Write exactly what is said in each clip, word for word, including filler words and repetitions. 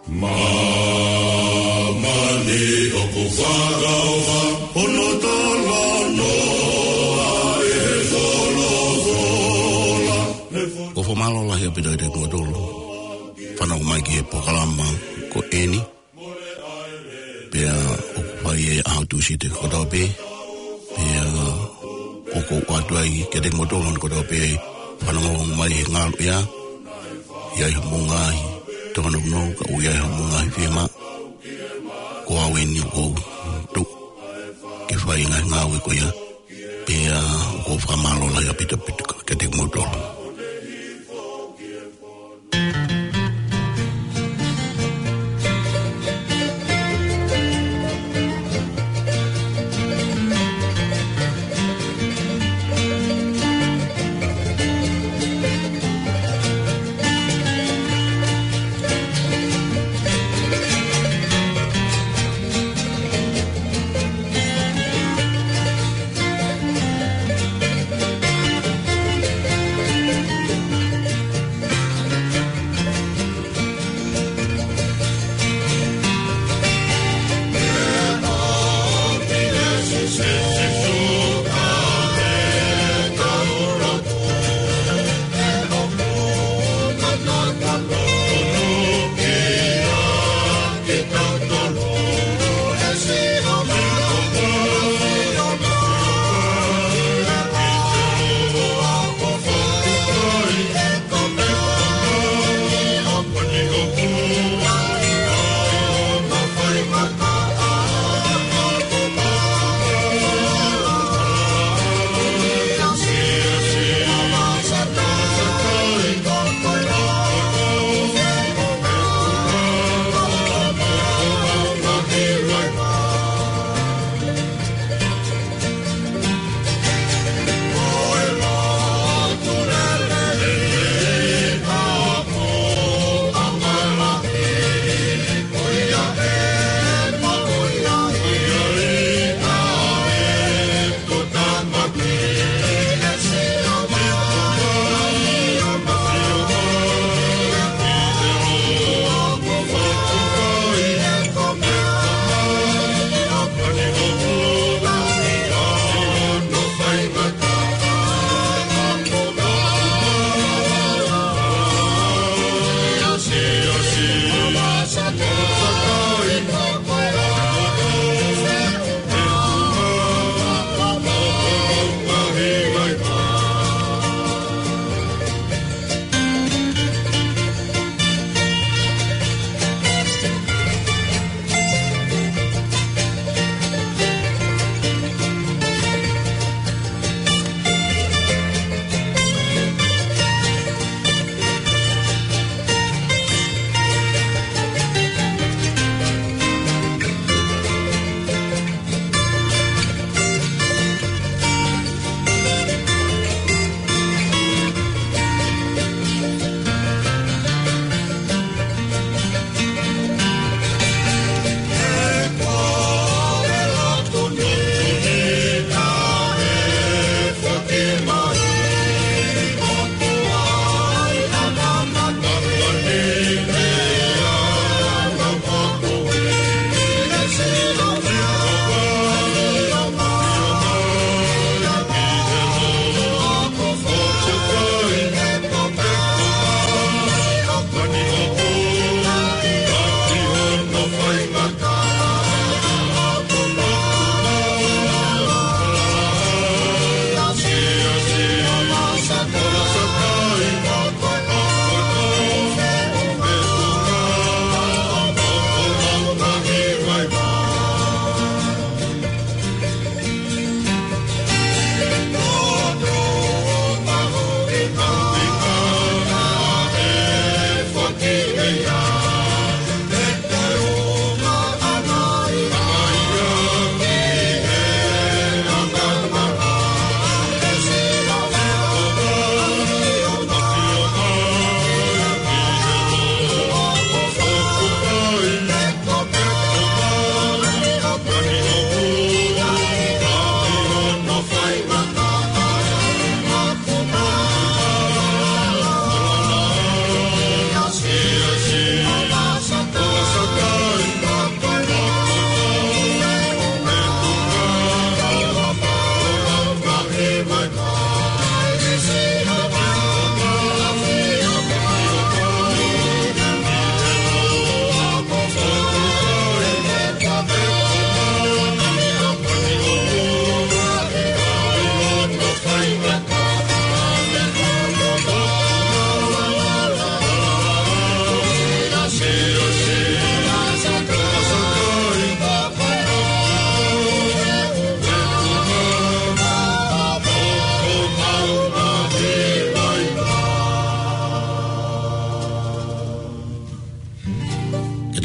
Māmani ʻoku fakaʻofa, hono tolanoa ʻe he folofola. ʻOku fakamālō lahi ʻaupito kiate kimoutolu fanongo mai ki he polokalama ko eni. Pea ʻoku fai ʻi he ʻaho Tūsite kotoa pē. Pea ʻoku ou ʻoatu ai kiate kimoutolu kotoa pē fanongo mai he ngaluʻea. ʻI ai haʻamou ngaahi tōnounou, ka ʻoku ʻi ai haʻamou ngaahi fiemaʻu. Ko au eni ʻoku ou tuʻu ke fai e ngaahi ngāue ko ia. Pea ʻoku ou fakamālō lahi ʻaupito ʻaupito kiate kimoutolu.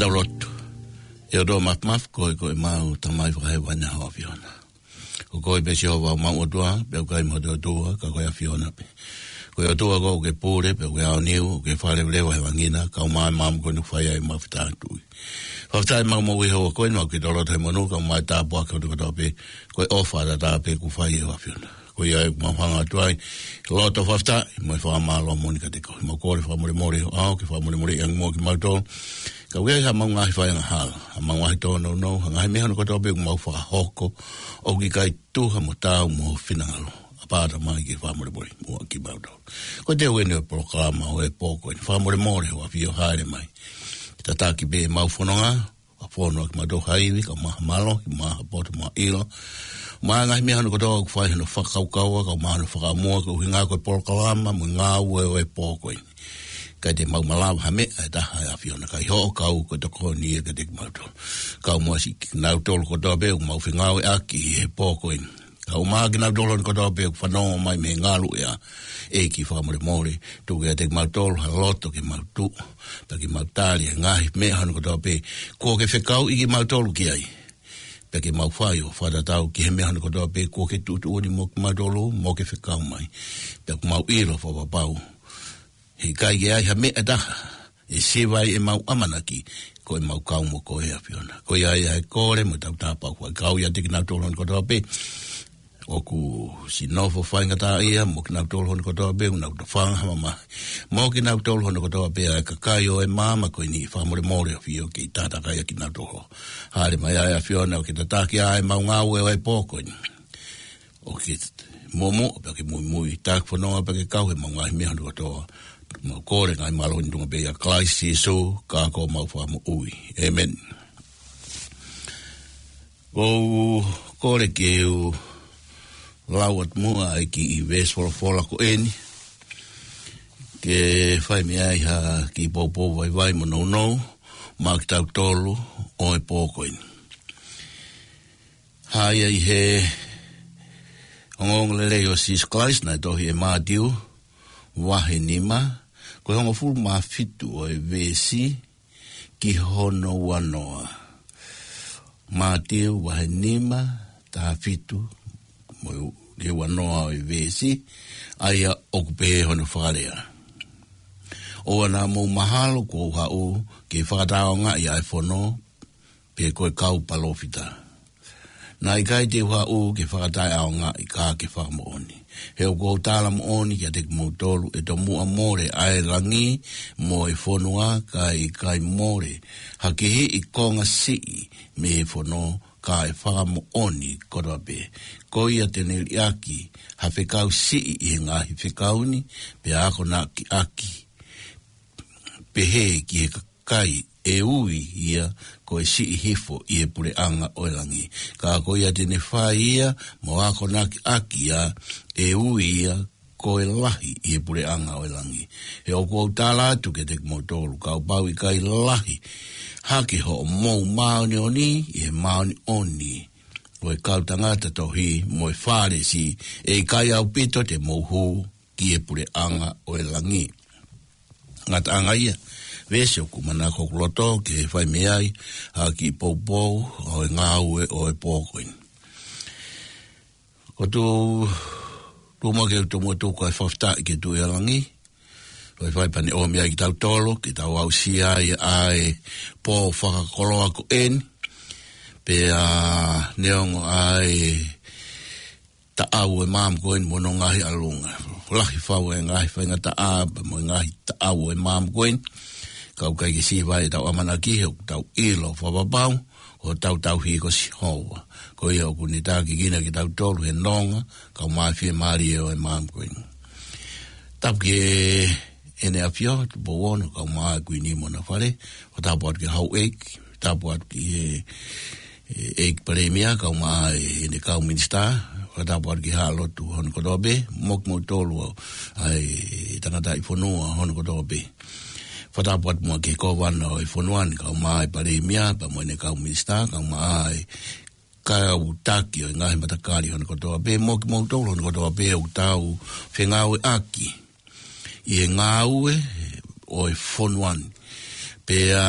Tau lotu. ʻE ʻOtua Māfimafi, ko koe ko ʻemau Tamai fakahēvani ʻa e ʻAfiona. Ko koe pē Sihova ʻemau ʻOtua, pea ʻoku ʻikai mo ha toe ʻOtua, ka ko e ʻAfiona pē. Ko e ʻOtua koe ʻoku ke pule, pea ʻoku ke aoniu, ʻoku ke fakaleveleva he langi na, kae ʻumaʻā e maama ko eni ʻoku fai ai ʻemau fetātui. Fakafetaʻi ʻemau moʻui he ʻaho ko eni, ʻoku ke tolota he monū, kae ʻumaʻā e tāpuaki ʻo e kotoa pē, ko e ʻofa ʻataʻatā pē kuo fai ʻe he ʻAfiona. Ko ia ʻoku mau hanga atu ai, loto fakafetaʻi, mo e fakamālō moʻoni kiate koe. Mau kole fakamolemole, ʻoua ke fakamolemoleʻi ange muʻa kimautolu. Ka ʻoku ʻi ai haʻamau ngaahi fai angahala, haʻamau ngaahi tōnounou, ha ngaahi meʻa hono kotoa pē ʻoku mau fakahoko, ʻoku ʻikai tuha mo taau mo ho finangalo. ʻApā Tamai ke fakamolemoleʻi muʻa kimautolu. Ko e teu eni ʻo e polokalama ʻo e pō ko eni. Fakamolemole ho ʻAfio hāʻele mai. Tataki pē ʻemau fononga, ʻa fono ʻaki kimautolu ha ivi, kae ʻumaʻā ha mālohi, kae ʻumaʻā ha poto mo ha ʻilo. Mo e ngaahi meʻa hono kotoa ʻoku fai hono fakakaukaua, kae ʻumaʻā hono fakaʻamua, ko e ʻuhinga ko e polokalama, mo e ngāue ʻo e pō ko eni. ʻIkai te mau malava ha meʻa ʻe taha ʻe ʻAfiona, ka ʻi hoʻo kau ko e tokoni ia kiate kimautolu. Kae ʻumaʻā siʻi kinautolu kotoa pē ʻoku mau fengāueʻaki ʻi he pō ko eni. Kae ʻumaʻā kinautolu hono kotoa pē ʻoku fanongo mai mei he ngaluʻea, ʻEiki fakamolemole, tuku kiate kimautolu ha loto ke mau tuʻu, pea ke mau tali e ngaahi meʻa hono kotoa pē kuo ke fekauʻi kimautolu ki ai. Pea ke mau fai ʻo fakatatau ki he meʻa hono kotoa pē kuo ke tuʻutuʻuni mo kimautolu, mo ke fekau mai. Pea ʻoku mau ʻilo fakapapau, heʻikai ke ʻi ai ha meʻa ʻe taha ʻe siva ai ʻemau ʻamanaki, ko ʻemau kau mo koe ʻe ʻAfiona. Ko ia ai ʻa e kole mo ʻetau tāpuaki, kau ʻiate kinautolu hono kotoa pē ʻoku siʻi nofo faingataʻaʻia, mo kinautolu hono kotoa pē ʻoku nau tofanga ha mamahi, mo kinautolu hono kotoa pē ʻa e kakai ʻo e maama ko eni, fakamolemole ʻAfio ke ʻi tātakai ʻa kinautolu. Hāʻele mai ʻa e ʻAfiona ʻo ke tataki ʻa ʻemau ngāue ʻo e pō ko eni. ʻO ke momo, pea ke muimui, taki fononga pea ke kau he ʻemau ngaahi meʻa hono kotoa. Mau kole ngaahi mālohi ni ʻi he tuʻunga pē ʻia Kalaisi Sīsū, ko homau Fakamoʻui. ʻĒmeni. ʻOku ou kole ke u lau atu muʻa ʻa e kiʻi veesi folofola ko eni, ke fai mei ai ha kiʻi poupou vaivai mo nounou maʻa kitautolu ʻo e pō ko eni. Hā ia ʻi he ongoongolelei ʻo Sīsū Kalaisi naʻe tohi ʻe Mātiu, vahe nima, ko e hongofulu mā fitu ʻo e veesi ki hono uanoa. Mātiu vahe nima, taha fitu, mo e u-, ki he uanoa ʻo e veesi, ʻa ia ʻoku pehē hono fakalea: ʻOua naʻa mou mahalo kuo u haʻu ke fakataʻeʻaongaʻi ʻa e fono, pe ko e kau palōfita. Naʻe ʻikai te u haʻu ke fakataʻeʻaongaʻi, ka ke fakamoʻoni. He ʻoku ou tala moʻoni kiate kimoutolu, ʻe tomuʻa mole ʻa e langi mo e fonua, kae ʻikai mole ha kihiʻi konga siʻi mei he fono, kae fakamoʻoni kotoa pē. Ko ia te ne liʻaki ha fekau siʻi ʻi he ngaahi fekau ni, pea akonakiʻaki pehē ki he kakai ʻe ui ia ko e siʻi hifo ʻi he puleʻanga ʻo e langi. Ka ko ia te ne fai ia mo akonakiʻaki ia, ʻe ui ia ko e lahi ʻi he puleʻanga ʻo e langi. He ʻoku ou tala atu kiate kimoutolu, kapau ʻe ʻikai lahi hake hoʻomou māʻoniʻoni ʻi he māʻoniʻoni ʻo e kau tangata tohi mo e Fālesi, ʻe ʻikai ʻaupito te mou hū ki he puleʻanga ʻo e langi. Ngataʻanga ia veesi ʻoku manako ʻoku loto ke fai mei ai ha kiʻi poupou ʻo e ngāue ʻo e pō ko eni. ʻOku ou tuʻu, tuʻu muʻa ke u tomuʻa tuku ʻa e fakafetaʻi ki he Tuʻi ʻo Langi, ʻoku fai pea ne ʻomi ai kitautolu ke tau aʻusia ai ʻa e pō fakakoloa ko eni, pea neongo ʻa e taʻau ʻo e maama ko eni mo hono ngaahi ʻalunga. Lahi fau e ngaahi faingataʻa pea mo e ngaahi taʻau ʻo e maama ko eni. Ka ʻoku ʻikai ke siva ai ʻetau ʻamanaki, he ʻoku tau ʻilo fakapapau ko hotau tauhi ko Sihova. Ko ia ʻoku ne tākiekina kitautolu he nonga, kae ʻumaʻā e fiemālie ʻo e maama ko eni. Tapu ki he ʻEne ʻAfio, Tupou Ono, kae ʻumaʻā e Kuini mo hona fale, ʻo tapu atu ki he Houʻeiki, tapu atu ki he, ʻe, ʻEiki Palēmia, kae ʻumaʻā ʻene kau minisitā, ʻo tapu atu ki he Haʻa Lotu hono kotoa pē, mo kimoutolu ʻa e tangataʻi fonua hono kotoa pē. Fakatapu atu muʻa ki he Kōvana ʻo e fonua ni, kae ʻumaʻā e Palēmia, pea mo ʻene kau minisitā, kae ʻumaʻā e kau taki ʻo e ngaahi matakali hono kotoa pē, mo kimoutolu hono kotoa pē ʻoku tau fengāueʻaki ʻi he ngāue ʻo e fonua ni. Pea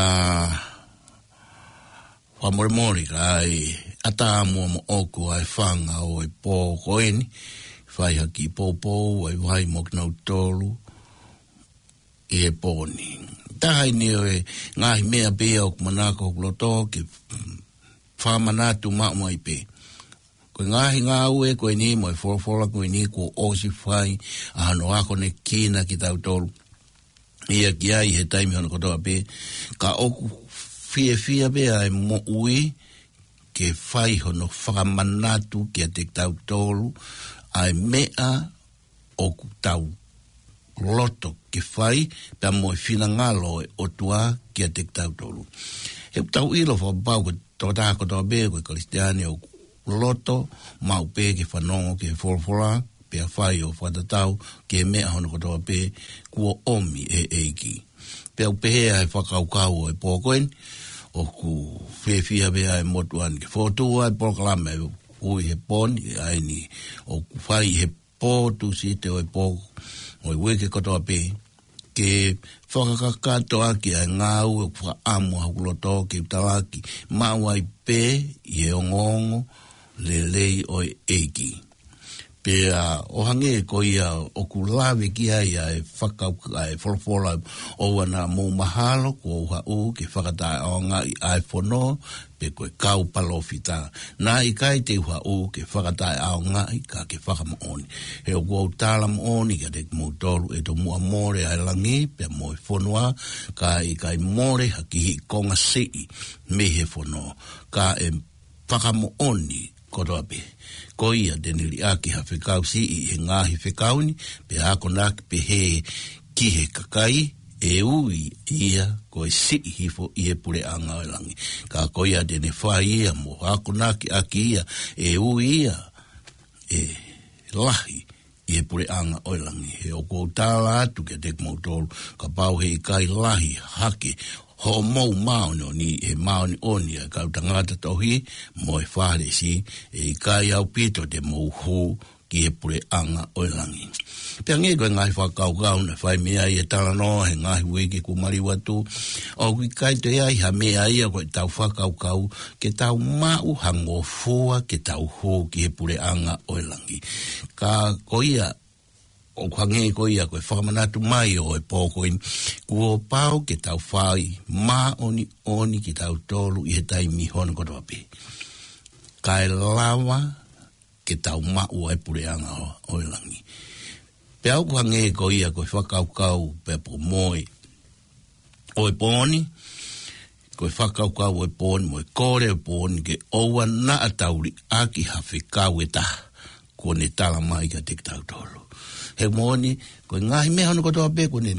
ʻOku molemole ka ʻi ai ʻatā mo ʻoku ʻi ai e fanga ʻo e pō ko eni, fai ha kiʻi poupou ʻa e vai mo kinautolu ʻi he pō ni. Taha eni ʻo e ngaahi meʻa pē ʻoku manako hoku loto ke fakamanatu maʻu mai pē. Ko e ngaahi ngāue ko eni mo e folofola ko eni kuo ʻosi fai ʻa hono akonekina kitautolu ia ki ai he taimi hono kotoa pē, ka ʻoku fiefia pē ʻa e moʻui ke fai hono fakamanatu kiate kitautolu ʻa e meʻa ʻoku tau loto ke fai, pea mo e finangalo ʻo e ʻOtua kiate kitautolu. He ʻoku tau ʻilo fakapapau ko e tokotaha kotoa pē ko e Kalisitiane ʻoku loto maʻu pē ke fanongo ki he folofola, pea fai ʻo fakatatau ki he meʻa hono kotoa pē kuo ʻomi ʻe he ʻEiki. Pea ʻoku pehē ʻa e fakakaukau ʻo e pō ko eni, ʻoku fiefia pē ʻa e motuʻa ni ke fokotuʻu ʻa e polokalama ʻoku ui he pō ni, ʻa eni ʻoku fai he pō Tūsite ʻo e pō ʻo e uike kotoa pē, ke fakakakato ʻaki ʻa e ngāue ʻoku fakaʻamu ʻa hoku loto ke u talaki maʻu ai pē ʻi he ongoongo lelei ʻo e ʻEiki. Pea ʻo hangē ko ia ʻoku lave ki ai ʻa e fakau-, ʻa e folofola, ʻoua naʻa mou mahalo kuo u haʻu ke fakataʻeʻaongaʻi ʻa e fono, pe ko e kau palōfita. Naʻe ʻikai te u haʻu ke fakataʻeʻaongaʻi ka ke fakamoʻoni. He ʻoku ou tala moʻoni kiate kimoutolu ʻe tomuʻa mole ʻa e langi pea mo e fonua, ka ʻe ʻikai mole ha kiʻi konga siʻi mei he fono. Ka ʻe fakamoʻoni kotoa pē. Ko ia te ne liʻaki ha fekau siʻi he ngaahi fekau ni, pea akonaki pehē ki he kakai, ʻe ui ia ko e siʻi hifo ʻi he puleʻanga ʻo e langi. Ka ko ia te ne fai ia mo akonaki ʻaki ia, ʻe ui ia ʻe lahi ʻi he puleʻanga ʻo e langi. He ʻoku ou tala atu kiate kimoutolu, kapau he ʻikai lahi hake hoʻomou māʻoniʻoni ʻi he māʻoniʻoni ʻa e kau tangata tohi mo e Fālesi, ʻe ʻikai ʻaupito te mou hū ki he puleʻanga ʻo e langi. Pea hangē ko e ngaahi fakakaukau naʻe fai mei ai e talanoa he ngaahi uike kuo maliu atu, ʻoku ʻikai toe ʻi ai ha meʻa ia ko ʻetau fakakaukau ke tau maʻu ha ngofua ke tau hū ki he puleʻanga ʻo e langi. Ka ko ia, ʻoku hangē ko ia ko e fakamanatu mai ʻo e pō ko eni, kuo pau ke tau fai māʻoniʻoni kitautolu ʻi he taimi hono kotoa pē, kae lava ke tau maʻu ʻa e puleʻanga ʻo, ʻo e langi. Pea ʻoku hangē ko ia ko e fakakaukau pea po moe ʻo e pō ni, ko e fakakaukau ʻo e pō ni mo e kole ʻo e pō ni ke ʻoua naʻa tau liʻaki ha fekau ʻe taha kuo ne tala mai kiate kitautolu. He moʻoni, ko e ngaahi meʻa hono kotoa pē kuo ne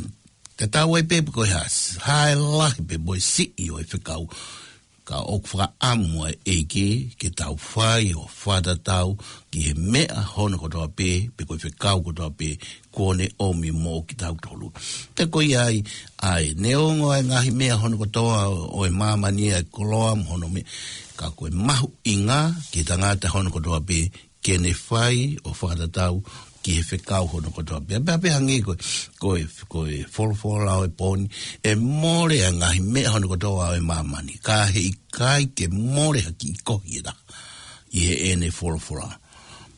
tatau ai pē pe ko e hā, hā e lahi pe mo e siʻi ʻo e fekau, ka ʻoku fakaʻamu ʻa e ʻEiki ke tau fai ʻo fakatatau ki he meʻa hono kotoa pē, pe ko e fekau kotoa pē kuo ne ʻomi moʻo kitautolu. Te ko ia ai, ʻa e neongo ʻa e ngaahi meʻa hono kotoa ʻo e māmani ʻa e koloa mo hono meʻa, ka ko e mahuʻinga ki he tangata hono kotoa pē ke ne fai ʻo fakatatau ki he fekau hono kotoa pē. Pea, pea hangē ko, ko e, ko e folofola ʻo e pō ni, ʻe mole ʻa e ngaahi meʻa hono kotoa ʻo e māmani, ka he ʻikai ke mole ha kiʻi kohi ʻe taha ʻi heʻene folofola.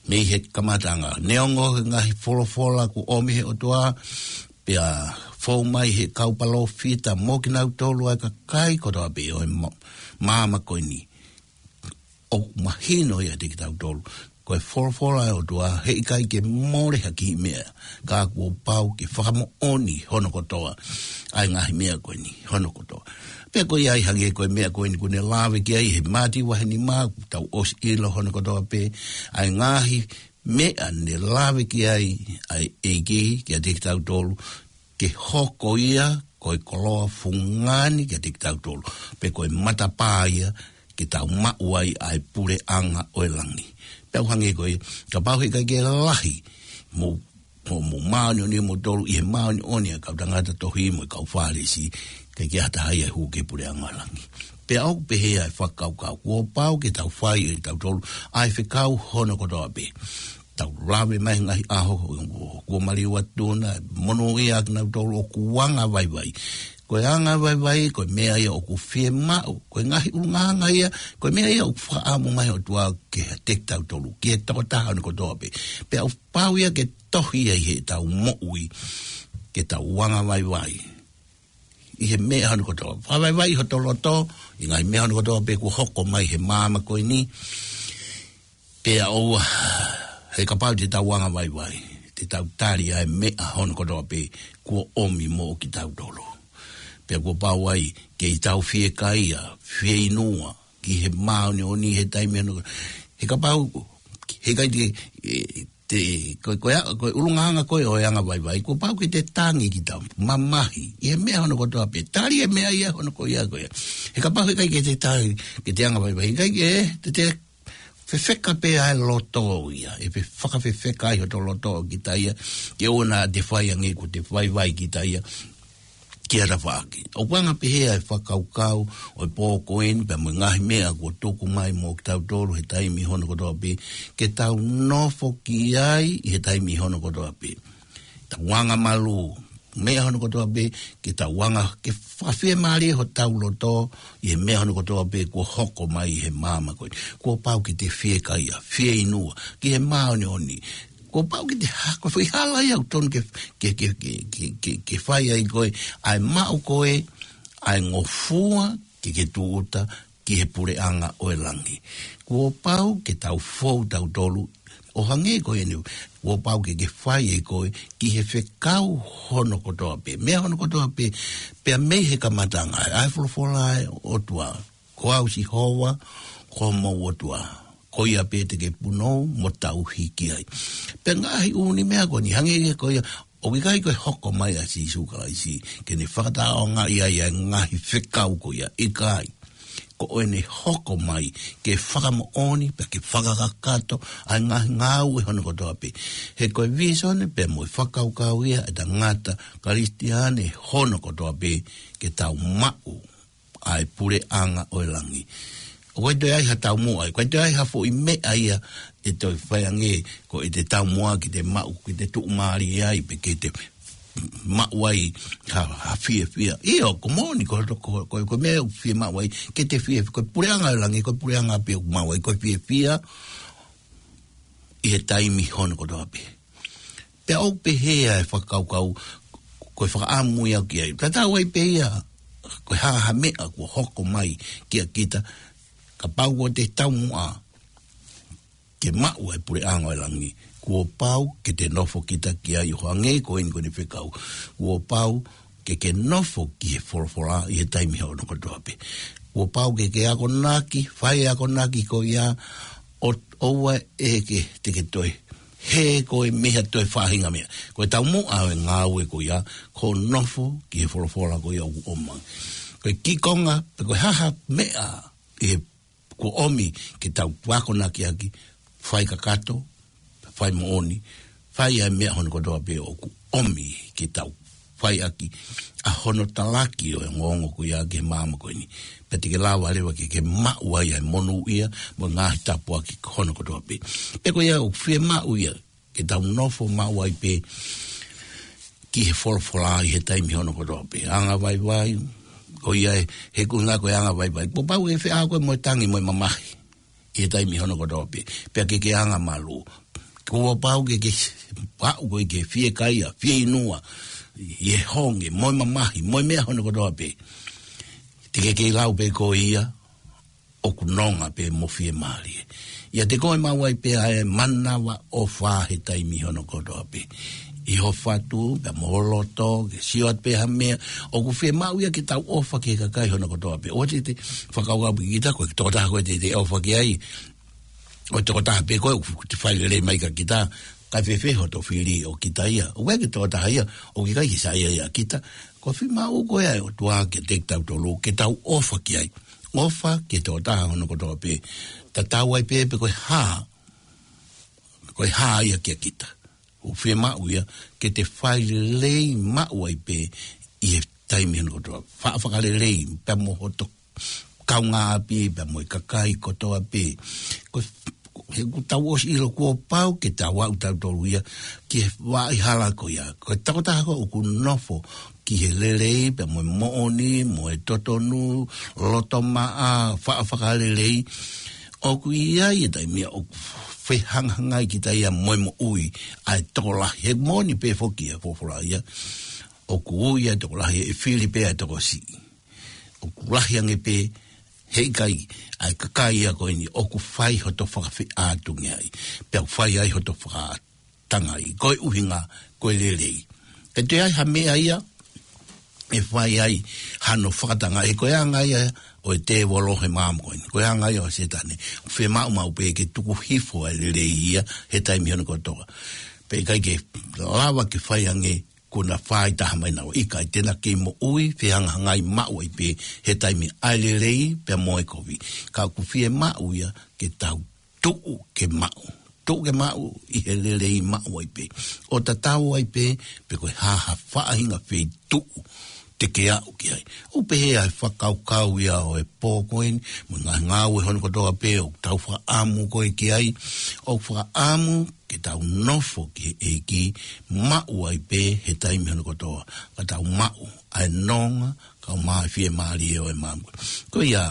Mei he kamataʻanga, neongo he ngaahi folofola kuo ʻomi he ʻOtua, pea fou mai he kau palōfita mo kinautolu ʻa e kakai kotoa pē ʻo e ma-, māmani ko eni, ʻoku mahino ia kiate kitautolu, ko e folofola ʻa e ʻOtua, he ʻikai ke mole ha kiʻi meʻa, ka kuo pau ke fakamoʻoni hono kotoa ʻa e ngaahi meʻa ko eni hono kotoa. Pea ko ia ai hangē ko e meʻa ko eni kuo ne lave ki ai he Mātiu vahe nima, tau ʻosi ʻilo hono kotoa pē ʻa e ngaahi meʻa ne lave ki ai ʻa e ʻEiki kiate kitautolu, ke hoko ia ko e koloa fungani kiate kitautolu, pe ko e matapā ia ke tau maʻu ai ʻa e puleʻanga ʻo e langi. Pea ʻoku hangē ko ia, kapau he ʻikai ke lahi mo, mo, mo māʻoniʻoni moutolu ʻi he māʻoniʻoni ʻa e kau tangata tohi mo e kau Fālesi, ʻikai ke ʻi ai ha taha ia ʻe hū ki he puleʻanga ʻo e langi. Pea ʻoku pehē ʻa e fakakaukau, kuo pau ke tau fai ʻe kitautolu ʻa e fekau hono kotoa pē. tau lave mai he ngaahi ʻaho kuo maliu atu na, monūʻia kinautolu ʻoku anga vaivai. Ko e anga vaivai, ko e meʻa ia ʻoku fiemaʻu, ko e ngaahi ʻulungaanga ia, ko e meʻa ia ʻoku fakaʻamu mai ʻOtua kiate kitautolu, ki he tokotaha ʻo ne kotoa pē. Pea ʻoku pau ia ke tohi ia ʻi heʻetau moʻui, ke tau anga vaivai ʻi he meʻa hono kotoa. Fakavaivai hoto loto ʻi he ngaahi meʻa hono kotoa pē kuo hoko mai he māmani ko eni. Pea ʻoua, he kapau te tau anga vaivai, te tau tali ʻa e meʻa hono kotoa pē kuo ʻomi moʻo kitautolu. Pea kuo pau ai ke tau fiekaia, fieinua, ki he māʻoniʻoni he taimi hono. He kapau, he kai te, e, te, ko, ko, ia, ko e ʻulungaanga ko ē ʻo e anga vaivai, kuo pau ke te tangi kita, mamahi, ʻi he meʻa hono kotoa pē, tali e meʻa ia hono ko ia ko ia. He kapau he kai ke te tangi, ke te anga vaivai, he kai ke, te, te fefeka pē ʻa e loto ia, ʻe fe-, fakafefeka ai hoto loto ʻo kita ia, ke ʻoua naʻa te fai ange kuo te vaivai kita ia, ki ha tafaʻaki. ʻOku anga pehē ʻa e fakakaukau ʻo e pō ko eni pea mo e ngaahi meʻa kuo tuku mai moʻo kitautolu he taimi hono kotoa pē, ke tau nofo ki ai ʻi he taimi hono kotoa pē. Tau anga malū, meʻa hono kotoa pē, ke tau anga, ke fakafiemālie hotau loto ʻi he meʻa hono kotoa pē kuo hoko mai he māmani ko eni. Kuo pau ke te fiekaia, fieinua, ki he māʻoniʻoni. Kuo pau ke te ha-, ko e foʻi hala ia ʻoku totonu ke, ke, ke fai ai ko ē, ʻa e maʻu ko ē, ʻa e ngofua ke ke tūʻuta ki he puleʻanga ʻo e langi. Kuo pau ke tau fou tautolu, ʻo hangē ko eni, kuo pau ke ke fai ai ko ē, ki he fekau hono kotoa pē, meʻa hono kotoa pē, pea mei he kamataʻanga, ʻa e folofola ʻa e ʻOtua. Ko au Sihova, ko homou ʻOtua. Ko ia pē te ke punou mo tauhi ki ai. Pea ngaahi ʻū meʻa ko eni hangē ko ia, ʻoku ʻikai ko e hoko mai ʻa Sīsū Kalaisi, ke ne fakataʻeʻaongaʻi ai ʻa e ngaahi fekau ko ia, ʻikai. Ko ʻene hoko mai, ke fakamoʻoni, pea ke fakakakato, ʻa e ngaahi ngāue hono kotoa pē. He ko e vīsone, pea mo e fakakaukau ia, ʻa e tangata Kalisitiane hono kotoa pē, ke tau maʻu ʻa e puleʻanga ʻo e langi. ʻOku ʻikai toe ai ha taumuʻa, ʻoku ʻikai toe ai ha foʻi meʻa ia ʻe toe fai ange, ko ʻete taumuʻa ke te maʻu, ke te tuʻumālie ai, pe ke te maʻu ai ha, ha fiefia. ʻIo, ko e moʻoni, ko, ko, ko, ko e meʻa ʻoku fiemaʻu ai, ke te fiefia, ko e puleʻanga ʻo e langi, ko e puleʻanga pē ʻoku maʻu ai, ko e fiefia, ʻi he taimi hono kotoa pē. Pea ʻoku pehē ʻa e fakakaukau, ko e fakaʻamu ia ki ai. Tatau ai pē ia, ko e hā ha meʻa kuo hoko mai kia kita, kapau kuo te taumuʻa ke maʻu ʻa e puleʻanga ʻo e langi, kuo pau ke te nofo kita ki ai ʻo hangē ko eni ko ʻene fekau. Kuo pau ke ke nofo ki he folofola ʻi he taimi hono kotoa pē. Kuo pau ke ke akonaki, fai e akonaki ko ia, ʻo, ʻoua ʻe ke, te ke toe hē koe mei ha toe faʻahinga meʻa. Ko e taumuʻa ʻo e ngāue ko ia, ko e nofo ki he folofola ko ia ʻoku ʻomai. Ko e kiʻi konga, pe ko e hā ha meʻa ʻi he kuo ʻomi ke tau akonaki ʻaki, fai kakato, fai moʻoni, fai ʻa e meʻa hono kotoa pē ʻoku ʻomi ke tau fai ʻaki ʻa hono talaki ʻo e ongoongo ko ia ki he māmani ko eni. Pea te ke lava leva ke ke maʻu ai ʻa e monūʻia mo e ngaahi tāpuaki hono kotoa pē. Pea ko ia ʻoku fiemaʻu ia ke tau nofo maʻu ai pē ki he folofola ʻi he taimi hono kotoa pē. Anga vaivai, ko ia ē, he ko e ʻuhinga ko e anga vaivai. Kuo pau ke feʻao koe mo e tangi mo e mamahi ʻi he taimi hono kotoa pē. Pea ke ke anga malū. Kuo pau ke ke maʻu koe ke fiekaia, fieinua, ʻi he honge, mo e mamahi, mo e meʻa hono kotoa pē. Te ke kei lau pē ko ia, ʻoku nonga pē mo fiemālie. ʻIate koe maʻu ai pē ʻa e manavaʻofa he taimi hono kotoa pē. ʻI ho fatu, pea mo ho loto, ke sio atu pē ha meʻa, ʻoku fiemaʻu ia ke tau ʻofa ki he kakai hono kotoa pē. ʻOua te te fakakaukau pē kita, ko e tokotaha ko ē te te ʻofa ki ai. Ko e tokotaha pē ko ē, ʻoku te fai lelei mai kia kita, kae fēfē hoto fili ʻo kita ia. ʻOku ʻikai ke tokotaha ia, ʻoku ʻikai ke saiʻia ia kita. Ko e fiemaʻu ko ē ʻa e ʻOtua kiate kitautolu, ke tau ʻofa ki ai. ʻOfa ki he tokotaha hono kotoa pē. Tatau ai pē pe ko e hā, ko e hā ia kia kita. ʻOku fiemaʻu ia, ke te fai lelei maʻu ai pē, ʻi he taimi hono kotoa. Fa-, fakalelei, pea mo hoto kaungāʻapi, pea mo e kakai kotoa pē. Ko e, ko e he ʻoku tau ʻosi ʻilo kuo pau ke tau aʻu tautolu ia ki he vaʻa hala ko ia. Ko e tokotaha ko ē ʻoku nofo ki he lelei pea mo e moʻoni, mo e totonu, loto maʻa, faʻa fakalelei. ʻOku ʻi ai e taimi ia ʻoku fehangahangai kita ia mo e moʻui ʻa e tokolahi. He moʻoni pē foki ʻa e folofola ia. ʻOku ui ʻa e tokolahi ʻe fili pē ʻa e tokosiʻi. ʻOku lahi ange pē, heʻikai, ʻa e kakai ia ko eni ʻoku fai hoto fakafeʻātungiaʻi, pea ʻoku fai ai hoto fakatangaʻi, ko e ʻuhinga ko e lelei. Ka toe ʻi ai ha meʻa ia ʻe fai ai hano fakatangaʻi, ko e anga ia ʻo e tēvolo he māmani ko eni. Ko e anga ia ʻo Sētane. Fiemaʻu maʻu pē ke tuku hifo ʻa e lelei ia he taimi hono kotoa. Pea ʻikai ke lava ke fai ange kuo na fai taha mai naua, ʻikai, te na kei moʻui fehangahangai maʻu ai pē he taimi ʻa e lelei pea mo e kovi. Ka ʻoku fiemaʻu ia ke tau tuʻu ke maʻu. Tuʻu ke maʻu ʻi he lelei maʻu ai pē. ʻO tatau ai pē, pe ko e hā ha faʻahinga feituʻu te ke aʻu ki ai. ʻOku pehē ʻa e fakakaukau ia ʻo e pō ko eni, mo e ngaahi ngāue hono kotoa pē ʻoku tau fakaʻamu ko ē ki ai, ʻoku fakaʻamu ke tau nofo ki he ʻEiki, maʻu ai pē he taimi hono kotoa, ka tau maʻu ʻa e nonga, kau mai fiemālie ʻo e māmani. Ko ia,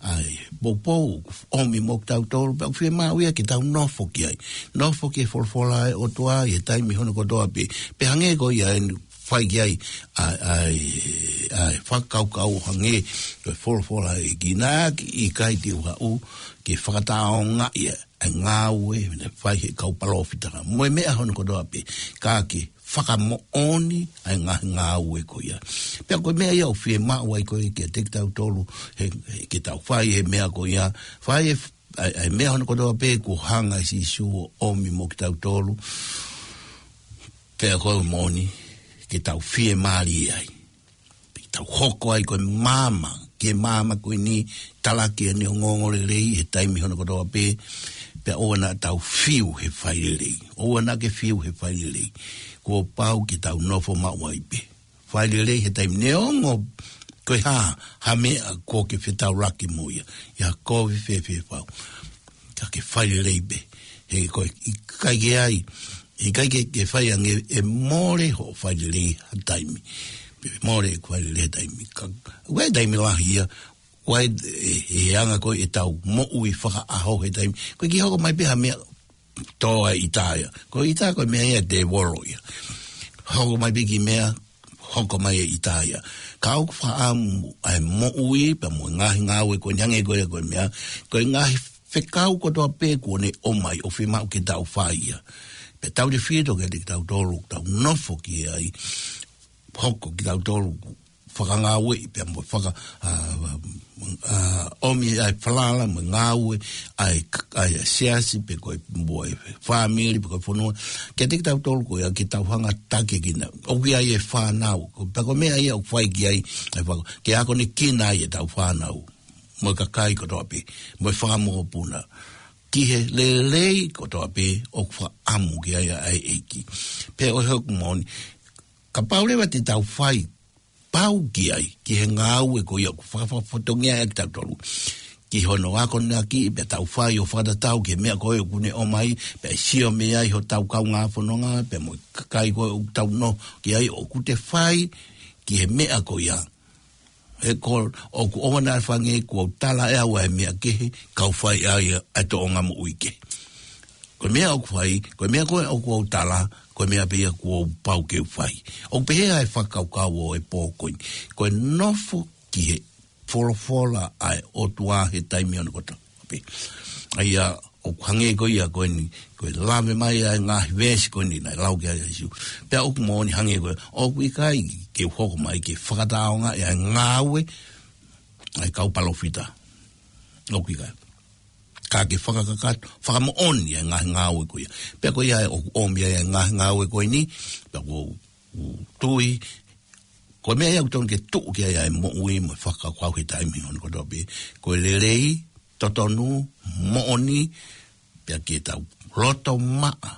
ʻa e poupou ʻoku ʻomi mo kitautolu, pea ʻoku fiemaʻu ia ke tau nofo ki ai. Nofo ki he folofola ʻa e ʻOtua ʻi he taimi hono kotoa pē. Pea hangē ko ia ʻeni fai ki ai, ʻa e, ʻa e, ʻa e fakakaukau hangē ko e folofola ʻa e ʻEiki naʻe ʻikai te u haʻu ke fakatāongaʻi ʻa e ngāue naʻe fai he kau palōfita. Mo e meʻa hono kotoa pē, ka ke fakamoʻoni ʻa e ngaahi ngāue ko ia. Pea ko e meʻa ia ʻoku fiemaʻu ai ko ē kiate kitautolu, he, he ke tau fai he meʻa ko ia, fai e, ʻa e, ʻa e meʻa hono kotoa pē kuo hanga ʻe Sīsū ʻo ʻomi mo kitautolu, pea ko e moʻoni, ke tau fiemālie ai. Pea ke tau hoko ai ko e maama, ki he maama ko eni, talaki ʻene ongoongolelei he taimi hono kotoa pē, pea ʻoua naʻa tau fiu he fai lelei. ʻOua naʻa ke fiu he fai lelei. Kuo pau ke tau nofo maʻu ai pē. Fai lelei he taimi neongo ko e hā ha meʻa kuo ke fetaulaki mo ia. ʻI ha kovi fēfē fau. Ka ke fai lelei pē. He ko e ʻikai ke ai, ʻikai ke, ke fai ange ʻe mole hoʻo fai lelei ha taimi. Mole ʻeku fai lelei ha taimi. Ka, ʻoku ʻi ai e taimi lahi ia, ʻoku ʻi ai e, e anga ko ē ʻetau moʻui fakaʻaho he taimi. Ko e kiʻi hoko mai pē ha meʻa tō ai ʻita ia. Ko e ʻita ko e meʻa ia ʻa e tēvolo ia. Hoko mai pē kiʻi meʻa, hoko mai e ʻita ia. Ka ʻoku fakaʻamu ʻa e moʻui, pea mo e ngaahi ngāue ko eni hangē ko ia ko e meʻa, ko e ngaahi fekau kotoa pē kuo ne ʻomai ʻoku fiemaʻu ke tau fai ia. Pea tautefito kiate kitautolu, tau nofo ki ai, hoko kitautolu, fakangāueʻi, pea mo faka-, ʻa, ʻa, ʻomi ʻa e falala mo e ngāue ʻa e, ʻa e siasi, pe ko e mo e fāmili, pe ko e fonua. Kiate kitautolu ko ia ke tau hanga taki kina. ʻOku ʻi ai e fānau. Ko, pea ko e meʻa ia ʻoku fai ki ai, ʻa e faka-, ke akonekina ai ʻetau fānau. Mo e kakai kotoa pē. Mo e fanga mokopuna. Ki he lelei kotoa pē ʻoku fakaʻamu ki ai ʻa e ʻEiki. Pea ʻoku moʻoni. Kapau leva te tau fai pau ki ai, ki he ngāue ko ia ʻoku faka-, fakafofongaʻi ai kitautolu. Ki hono akonaki, pea tau fai ʻo fakatatau ki he meʻa ko ē ʻoku ne ʻomai, pea sio mei ai hotau kaungā fononga, pea mo e kakai ko ē ʻoku tau nofo ki ai ʻoku te fai, ki he meʻa ko ia. He ko, ʻoku ʻoua naʻa fai ange kuo u tala ʻe au ʻa e meʻa kehe, kau fai ai ʻa e tōʻonga moʻui kehe. Ko e meʻa ʻoku fai, ko e meʻa ko ē ʻoku ou tala, ko e meʻa pē ia kuo pau ke u fai. ʻOku pehē ʻa e fakakaukau ʻo e pō ko eni. Ko e nofo ki he folofola ʻa e ʻOtua he taimi hono kotoa pē. ʻA ia ʻoku hangē ko ia ko eni, ko e lave mai ʻa e ngaahi veesi ko eni naʻe lau ki ai ʻa Sīsū. Pea ʻoku moʻoni hangē ko ia, ʻoku ʻikai ke u hoko mai ke fakatāongaʻi ʻa e ngāue ʻa e kau palōfita. ʻOku ʻikai. Ka ke fakakakato, fakamoʻoni ʻa e ngaahi ngāue ko ia. Pea ko ia ʻoku ʻomi ai ʻa e ngaahi ngāue ko eni, pea ʻoku ou tui, ko e meʻa ia ʻoku totonu ke tuʻu ki ai ʻa e moʻui mo e fakakaukau he taimi hono kotoa pē. Ko e lelei, totonu, moʻoni, pea ke tau loto maʻa,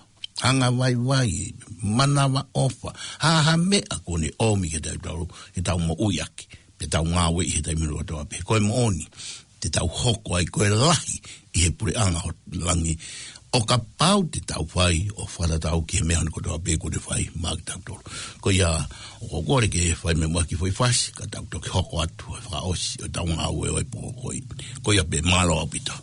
anga vaivai, manavaʻofa, ha, ha meʻa kuo ne ʻomi ke tau, tau, ke tau moʻui ʻaki, ke tau ngāueʻi he taimi hono kotoa pē. Ko e moʻoni, te tau hoko ai ko e lahi ʻi he puleʻanga ʻo langi, ʻO kapau te tau fai ʻo fakatatau ki he meʻa hono kotoa pē kuo ne fai maʻa kitautolu. Ko ia, ʻoku ou kole ke fai mai muʻa ha kiʻi foʻi fasi, ka tau toki hoko atu ʻo fakaʻosi ʻetau ngāue ʻo e pō ko eni. Ko ia pē, mālō ʻaupito.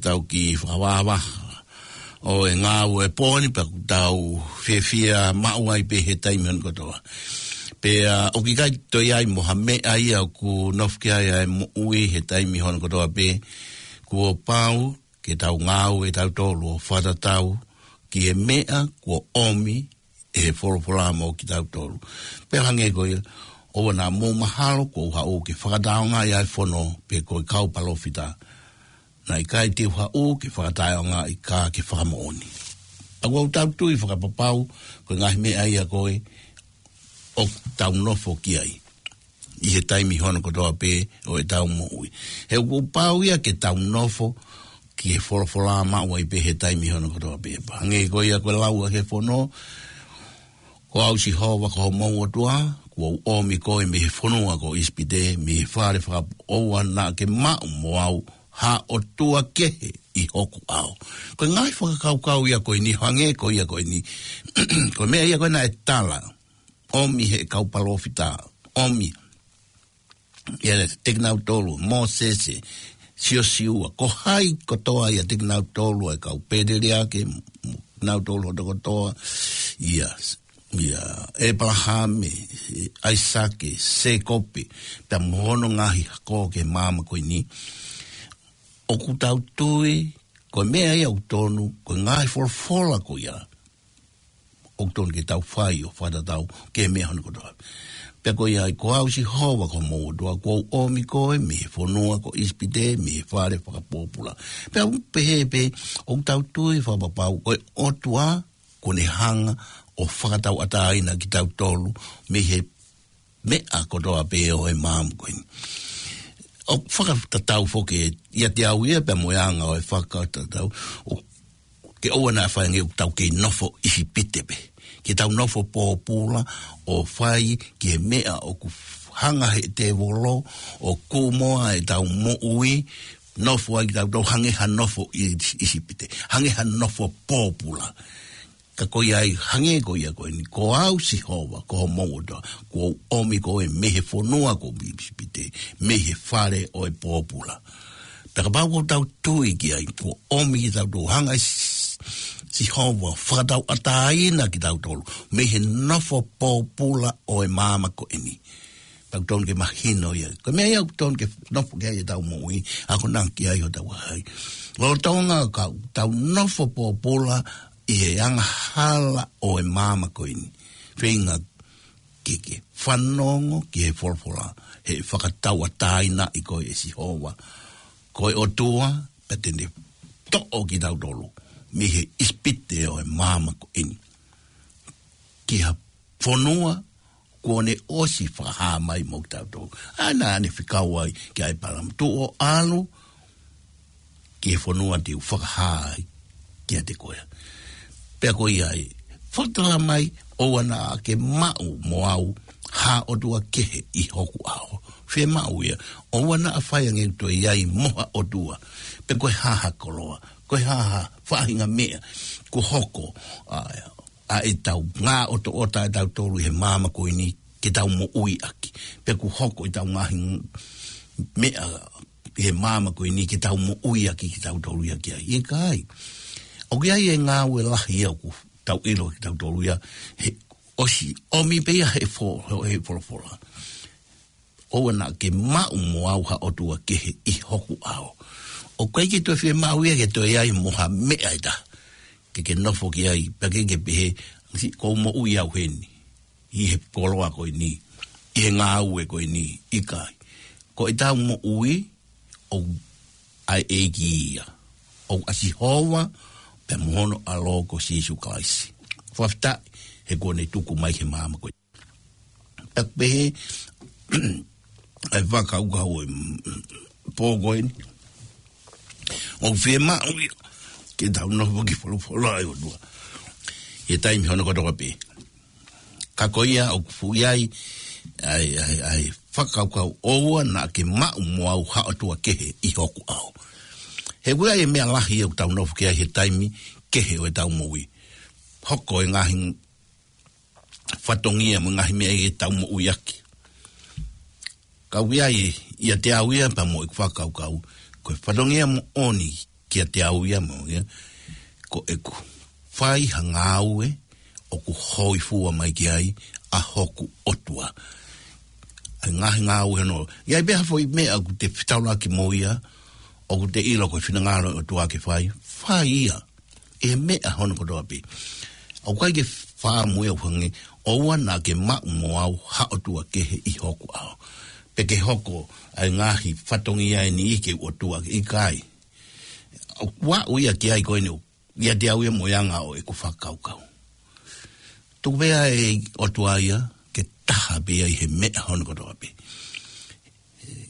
tau kiʻi fakavahavaha ʻo e ngāue ʻo e pō ni pea ʻoku tau fiefia maʻu ai pē he taimi hono kotoa. Pea ʻoku ʻikai toe ʻi ai mo ha meʻa ia ʻoku nofo ki ai ʻa e moʻui he taimi hono kotoa pē. Kuo pau ke tau ngāue tautolu ʻo fakatatau ki he meʻa kuo ʻomi ʻe he folofola mo kitautolu. Pea hangē ko ia, ʻoua naʻa mou mahalo kuo u haʻu ke fakataongaʻi ʻa e fono pe ko e kau palōfita. Naʻe ʻikai te u haʻu ke fakataongaʻi ka ke fakamoʻoni. ʻA ia ʻoku tau tui fakapapau ko e ngaahi meʻa ia ko ē ʻoku tau nofo ki ai ʻi he taimi hono kotoa pē ʻo ʻetau moʻui. He ʻoku pau ia ke tau nofo ki he folofola maʻu ai pē he taimi hono kotoa pē. Hangē ko ia ko e lau ʻa e fono, Ko au Sihova ko homou ʻOtua, kuo u ʻomi koe mei he fonua ko ʻIsipite, mei he fale fakapoʻuli, ʻoua naʻa ke maʻu mo au ha ʻotua kehe ʻi hoku ʻao. Ko e ngaahi fakakaukau ia ko eni, hangē ko ia ko eni. Ko e meʻa ia ko ē naʻe tala, ʻomi ʻe he kau palōfita, ʻomi ʻiate kinautolu, Mōsese, Siosiua, ko hai kotoa ʻiate kinautolu, ʻa e kau pēteliake, mo kinautolu hono kotoa, ʻia, ʻia ʻĒpalahame, ʻAisake, Sēkope, pea mo hono ngaahi hako ki he māmani ko eni. ʻOku tau tui, ko e meʻa ia ʻoku tonu, ko e ngaahi folofola ko ia ʻoku tonu ke tau fai ʻo fakatatau ki he meʻa hono kotoa. Pea ko ia ai, ko au Sihova ko homou ʻOtua, kuo u ʻomi koe mei he fonua ko ʻIsipite, mei he fale fakapōpula. Pea u pehē pē, ʻoku tau tui fakapapau, ko e ʻOtua, kuo ne hanga ʻo fakatauʻatāina kitautolu, mei he meʻa kotoa pē ʻo e māmani ko eni. ʻOku fakatatau foki ʻiate au ia pea mo e anga ʻo e fakatatau, ʻo ke ʻoua naʻa fai ange ʻoku tau kei nofo ʻIsipite pē. Ke tau nofo pōpula ʻo fai ki he meʻa ʻoku hanga ʻe he tēvolo ʻo kūmoa ʻetau moʻui, nofo ai kitautolu hangē ha nofo ʻi ʻIsipite, hangē ha nofo pōpula. Ka ko ia ai, hangē ko ia ko eni, ko au Sihova, ko homou ʻOtua, kuo u ʻomi koe mei he fonua ko ʻIsipite, mei he fale ʻo e pōpula. Pea kapau ʻoku tau tui ki ai, kuo ʻomi kitautolu, hanga ʻe S-, Sihova ʻo fakatauʻatāina kitautolu mei he nofo pōpula ʻo e māmani ko eni. Pea ʻoku tonu ke mahino ia. Ko e meʻa ia ʻoku tonu ke nofo ki ai ʻetau moʻui, akonaki ai hotau vahaʻa. Lolotonga ʻoku tau nofo pōpula ʻi he angahala ʻo e māmani ko eni. Feinga ke ke fanongo ki he folofola, he ʻe fakatauʻatāinaʻi koe ʻe Sihova ko e ʻOtua, pea te ne toʻo kitautolu mei he ʻIsipite ʻo e māmani ko eni ki ha fonua kuo ne ʻosi fakahā mai mo kitautolu. ʻA ia naʻa ne fekau ai kia ʻĒpalahame, tuʻu ʻo ʻalu ki he fonua te u fakahā ai kiate koe. Pea ko ia ai, fakatala mai, ʻoua naʻa ke maʻu mo au ha ʻotua kehe ʻi hoku ʻao. Fiemaʻu ia, ʻoua naʻa fai ange ʻoku toe ʻi ai mo ha ʻotua, pe ko e hā ha koloa, ko e hā ha faʻahinga meʻa kuo hoko, ʻa, ʻa ʻetau ngaahi ʻotoʻota ʻatautolu ʻi he māmani ko eni ke tau moʻui ʻaki. Pe kuo hoko ʻetau ngaahi meʻa ʻi he māmani ko eni ke tau moʻui ʻaki kitautolu ia ki ai. ʻIkai. ʻOku ʻi ai e ngāue lahi ia ʻoku tau ʻilo kitautolu ia, he ʻosi ʻomi pē ia he fo-, he folofola. ʻOua naʻa ke maʻu mo au ha ʻotua kehe ʻi hoku ʻao. ʻOku ʻikai ke toe fiemaʻu ia ke toe ʻi ai mo ha meʻa ʻe taha ke ke nofo ki ai, pea ke ke pehē, "Siʻi, ʻoku ou moʻui au heni ʻi he koloa ko eni, ʻi he ngāue ko eni." ʻIkai. Ko ʻetau moʻui ʻoku ʻa e ʻEiki ia, ʻoku ʻa Sihova pea mo hono ʻAlo ko Sīsū Kalaisi. Fakafetaʻi he kuo ne tuku mai he māmani ko ē. Pea pehē ʻa e fakakaukau ʻo e, mm, pō ko eni, ʻoku fiemaʻu ia ke tau nofo ki he folofola ʻa e ʻOtua he taimi hono kotoa pē. Ka ko ia ʻoku fuʻu ʻi ai ʻa e, ʻa e, ʻa e fakakaukau, ʻoua naʻa ke maʻu mo au ha ʻotua kehe ʻi hoku ʻao. He ʻoku ʻi ai e meʻa lahi ʻoku tau nofo ki ai he taimi kehe ʻo ʻetau moʻui. Hoko e ngaahi fatongia mo e ngaahi meʻa ʻi heʻetau moʻui ʻaki. Ka ʻoku ʻi ai ʻiate au ia pea mo ʻeku fakakaukau, ko e fatongia moʻoni kiate au ia mo ia, ko ʻeku fai ha ngāue ʻoku hōifua mai ki ai ʻa hoku ʻOtua. ʻA e ngaahi ngāue hono, ʻi ai pē ha foʻi meʻa ʻoku te fetaulaki mo ia, ʻoku te ʻilo ko e finangalo ʻo e ʻOtua ke fai, fai ia. ʻI he meʻa hono kotoa pē. ʻOku ʻikai ke fāmui au hangē, ʻoua naʻa ke maʻu mo au ha ʻotua kehe ʻi hoku ʻao. Pe ke hoko ʻa e ngaahi fatongia ʻe niʻihi ke u ʻotua, ʻikai. ʻOku aʻu ia ki ai ko eni, ʻiate au ia mo e anga ʻo ʻeku fakakaukau. Tuku pē ʻa e ʻOtua ia ke taha pē ia ʻi he meʻa hono kotoa pē.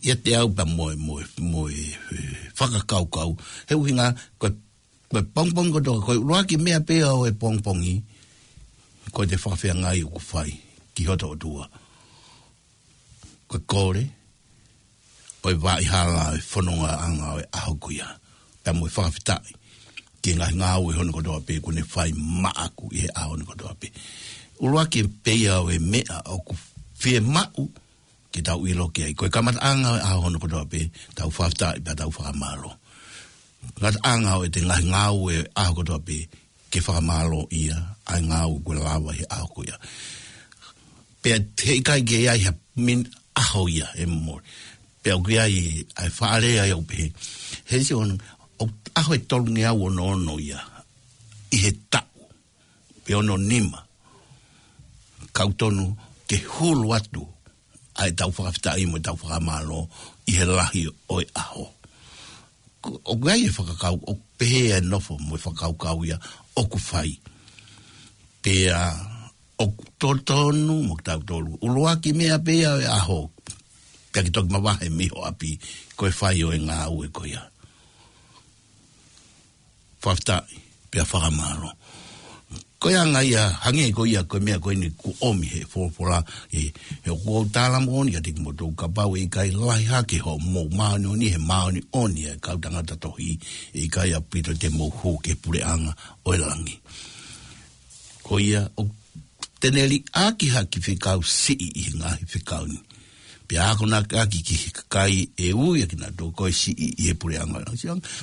ʻIate au pea mo e, mo e, mo e, e, fakakaukau. He ʻuhinga, ko e, ko e pongipongi kotoa, ko e ʻuluaki meʻa pē ia ʻo e pongipongi, ko ʻete fakafeangai ʻoku fai ki hoto ʻOtua. Ko e kole, ʻo e vaʻa hala ʻo e fonongaʻanga ʻo e ʻaho ko ia. Pea mo e fakafetaʻi ki he ngaahi ngāue hono kotoa pē kuo ne fai maʻaku ʻi he ʻaho hono kotoa pē. ʻUluaki pē ia ʻo e meʻa ʻoku fiemaʻu ke tau ʻilo ki ai. Ko e kamataʻanga ʻo e ʻaho hono kotoa pē, tau fakafetaʻi pea tau fakamālō. Ngataʻanga ʻo ʻete ngaahi ngāue ʻaho kotoa pē, ke fakamālōʻia ʻa e ngāue kuo lava he ʻaho ko ia. Pea heʻikai ke ʻi ai ha min ʻaho ia ʻe mole. Pea ʻoku ʻi ai ʻa e faʻa lea ia ʻoku pehē. He ʻoku ʻi ai ʻa e ʻaho ʻe tolungeau ono ono ia ʻi he taʻu. Pe ono nima. Ka ʻoku tonu ke hulu atu ʻa ʻetau fakafetaʻi mo ʻetau fakamālō ʻi he lahi ʻo e ʻaho. Ko, ʻoku ʻi ai e fakakau, ʻoku pehē ʻa e nofo mo e fakakaukau ia ʻoku fai. Pea ʻoku totonu mo kitautolu. ʻUluaki meʻa pē ia ʻo e ʻaho. Pea ke toki mavahe mei ho ʻapi, ko e fai ʻo e ngāue ko ia. Fakafetaʻi, pea fakamālō. Ko e anga ia, hangē ko ia, ko e meʻa ko eni kuo ʻomi he folofola, ʻe, he ʻoku ou tala moʻoni kiate kimoutolu kapau ʻe ʻikai lahi hake hoʻomou māʻoniʻoni, he māʻoniʻoni ʻa e kau tangata tohi, ʻe ʻikai ʻaupito te mou hū ki he puleʻanga ʻo e langi. Ko ia, ʻoku te ne liʻaki ha kiʻi fekau siʻi ʻi he ngaahi fekau ni. Pea akonaki ki he kakai ʻe ui ʻa kinautolu ko e siʻi ʻi he puleʻanga.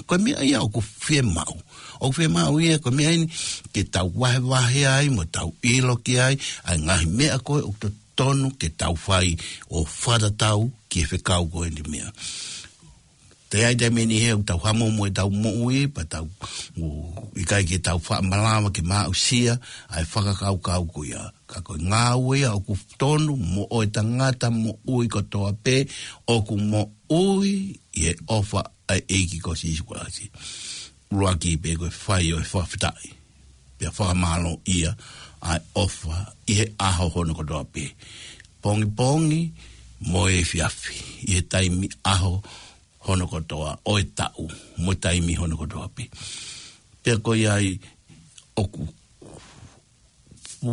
Ko e meʻa ia ʻoku fiemaʻu. ʻOku fiemaʻu ia ko e meʻa eni ke tau vahevahe ai mo tau ʻilo ki ai, ʻa e ngaahi meʻa ko ē ʻoku totonu ke tau fai ʻo fakatatau ki he fekau ko eni meʻa. Te ai te meni he ʻoku tau hamo mo ʻetau moʻui, pea tau, ʻoku ʻikai ke tau faʻa malava ke maʻusia ʻa e fakakaukau ko ia. Ka ko e ngāue ia ʻoku tonu mo e tangata moʻui kotoa pē, ʻoku moʻui ʻi he ʻofa ʻa e ʻEiki ko Sīsū Kalaisi. ʻUluaki pē ko e fai ʻo e fakafetaʻi. Pea fakamālōʻia ʻa e ʻofa ʻi he ʻaho hono kotoa pē. Pongipongi mo e efiafi, ʻi he taimi ʻaho hono kotoa, ʻo e taʻu, mo e taimi hono kotoa pē. Pea ko ia ai ʻoku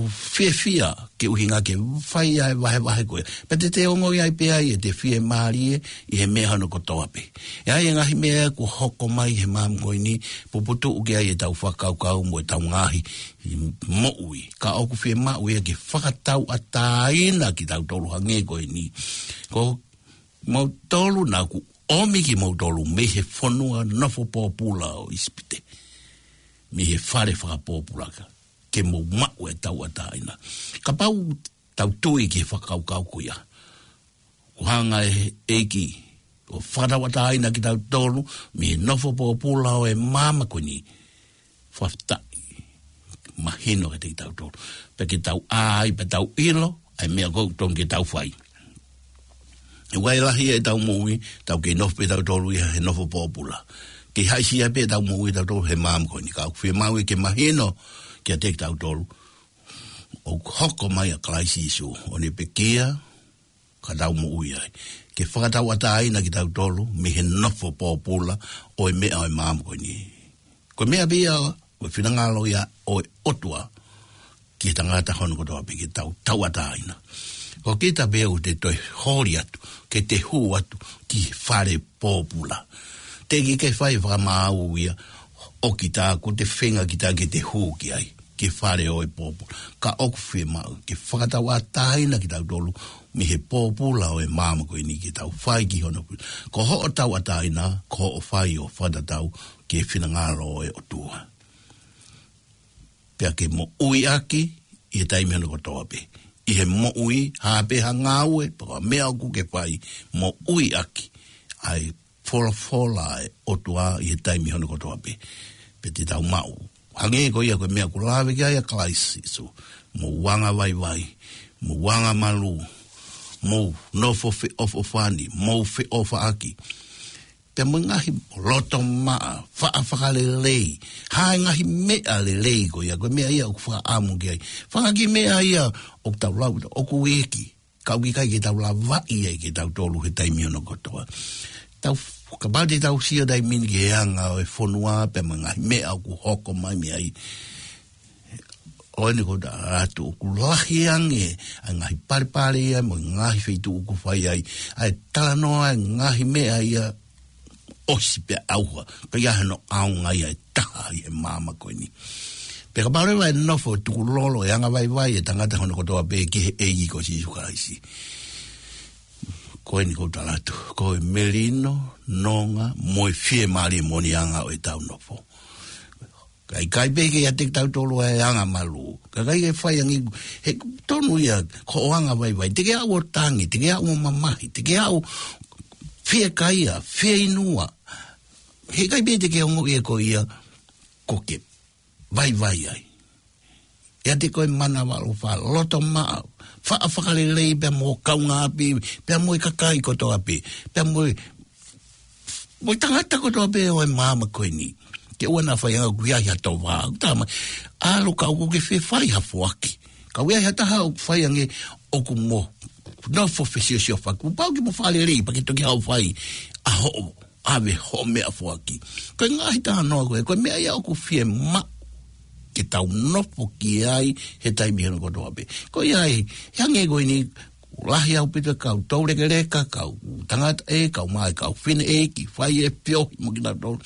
fiefia ke ʻuhinga ke fai ʻa e vahevahe ko ia. Pea te te ongoʻi ai pē ai ʻete fiemālie ʻi he meʻa hono kotoa pē. ʻE ʻi ai e ngaahi meʻa kuo hoko mai he māmani ko eni, puputuʻu ki ai ʻetau fakakaukau mo ʻetau ngaahi moʻui. Ka ʻoku fiemaʻu ia ke fakatauʻatāina kitautolu hangē ko eni. Ko moutolu naʻa ku ʻomi kimoutolu mei he fonua nofo pōpula ʻo ʻIsipite. Mei he fale fakapōpula ka, ke mou maʻu e tauʻatāina. Kapau tau tui ki he fakakaukau ko ia. ʻOku hanga ʻe he ʻEiki ʻo fakatauʻatāina kitautolu mei he nofo pōpula ʻo e māmani ko eni. Fakafetaʻi, mahino kiate kitautolu. Pea ke tau ʻai, pea tau ʻilo ʻa e meʻa ʻoku totonu ke tau fai. ʻE ʻi ai e lahi ʻetau moʻui, tau kei nofo pē tautolu ia he nofo pōpula. Kei haʻisia pē ʻetau moʻui tautolu he māmani ko eni. Ka ʻoku fiemaʻu ia ke mahino kiate kitautolu ʻoku hoko mai ʻa Kalaisi Sīsū, ʻo ne pekia, ka tau moʻui ai. Ke fakatauʻatāina kitautolu mei he nofo pōpula ʻo e meʻa ʻo e māmani ko eni. Ko e meʻa pē ia, ko e finangalo ia ʻo e ʻOtua ki he tangata hono kotoa pē, ke tau tauʻatāina. Ko kita pē ʻoku te toe holi atu, ke te hū atu ki he fale pōpula. Teʻeki ke fai fakamaau ia ʻo kita, ko e feinga kita ke te hū ki ai. ʻi he fale ʻo e pōpula. Ka ʻoku fiemaʻu ke fakatauʻatāina kitautolu mei he pōpula ʻo e māmani ko eni ke tau fai ki hono pōpula. Ko hoʻo tauʻatāina, ko hoʻo fai ʻo fakatatau ki he finangalo ʻo e ʻOtua. Pea ke moʻui ʻaki ʻi he taimi hono kotoa pē. ʻI he moʻui, hā pē ha ngāue, pe ko ha meʻa ʻoku ke fai, moʻui ʻaki ʻa e folofola ʻa e ʻOtua ʻi he taimi hono kotoa pē. Pea te tau maʻu. Hangē ko ia ko e meʻa ʻoku lave ki ai ʻa Kalaisi Sīsū. Mou anga vaivai, mou anga malū, mou nofo feʻofoʻofani, mou feʻofaʻaki. Pea mo e ngaahi loto maʻa, faʻa fakalelei. Hā e ngaahi meʻa lelei ko ia, ko e meʻa ia ʻoku fakaʻamu ki ai. Fanga kiʻi meʻa ia ʻoku tau lau, ʻoku iiki. Ka ʻoku ʻikai ke tau lavaʻi ai kitautolu he taimi hono kotoa. Tau, kapau te tau sio taimi ni ki he anga ʻo e fonua, pea mo e ngaahi meʻa ʻoku hoko mai mei ai. ʻOku ou tui atu ʻoku lahi ange ʻa e ngaahi palepale ia mo e ngaahi feituʻu ʻoku fai ai ʻa e talanoa ʻa e ngaahi meʻa ia ʻosi pea ʻauha, ka ʻi ai hano ʻaonga ia ʻe taha ʻi he māmani ko eni. Pea kapau leva ʻe nofo tukulolo e anga vaivai e tangata hono kotoa pē ki he ʻEiki ko Sīsū Kalaisi. Ko eni ʻoku ou tala atu, ko e melino, nonga, mo e fiemālie mo e anga ʻo ʻetau nofo. Ka ʻikai pē ke ʻiate kitautolu ʻa e anga malū. Ka ʻikai ke fai ange, he tonu ia ko hoʻo anga vaivai. Te ke aʻu ʻo tangi, te ke aʻu ʻo mamahi, te ke aʻu fiekaia, fieinua. He ʻikai pē te ke ongoʻi ʻe koe ia, ko ke vaivai ai. ʻIate koe manava ʻofa, loto maʻa, faʻa fakalelei pea mo e kaungāʻapi, pea mo e kakai kotoa pē, pea mo e mo e tangata kotoa pē ʻo e māmani ko eni. Ke ʻoua naʻa fai ange ʻoku ʻi ai ha tōvā, ʻoku tā mai. ʻAlu ka ʻoku ke fie fai ha foaki. Ka ʻoku ʻi ai ha taha ʻoku fai ange ʻoku mo nofo fesiosiofaki. Kuo pau ke mo fakalelei, pea ke toki haʻu ʻo fai ʻa hoʻo, ʻave hoʻo meʻa foaki. Ko e ngaahi talanoa ko ē, ko e meʻa ia ʻoku fiemaʻu ke tau nofo ki ai he taimi hono kotoa pē. Ko ia ai, he hangē ko eni, lahi ʻaupito e kau toulekeleka, kau tangataʻeiki, kau mā, kau fineʻeiki, fai e feohi mo kinautolu.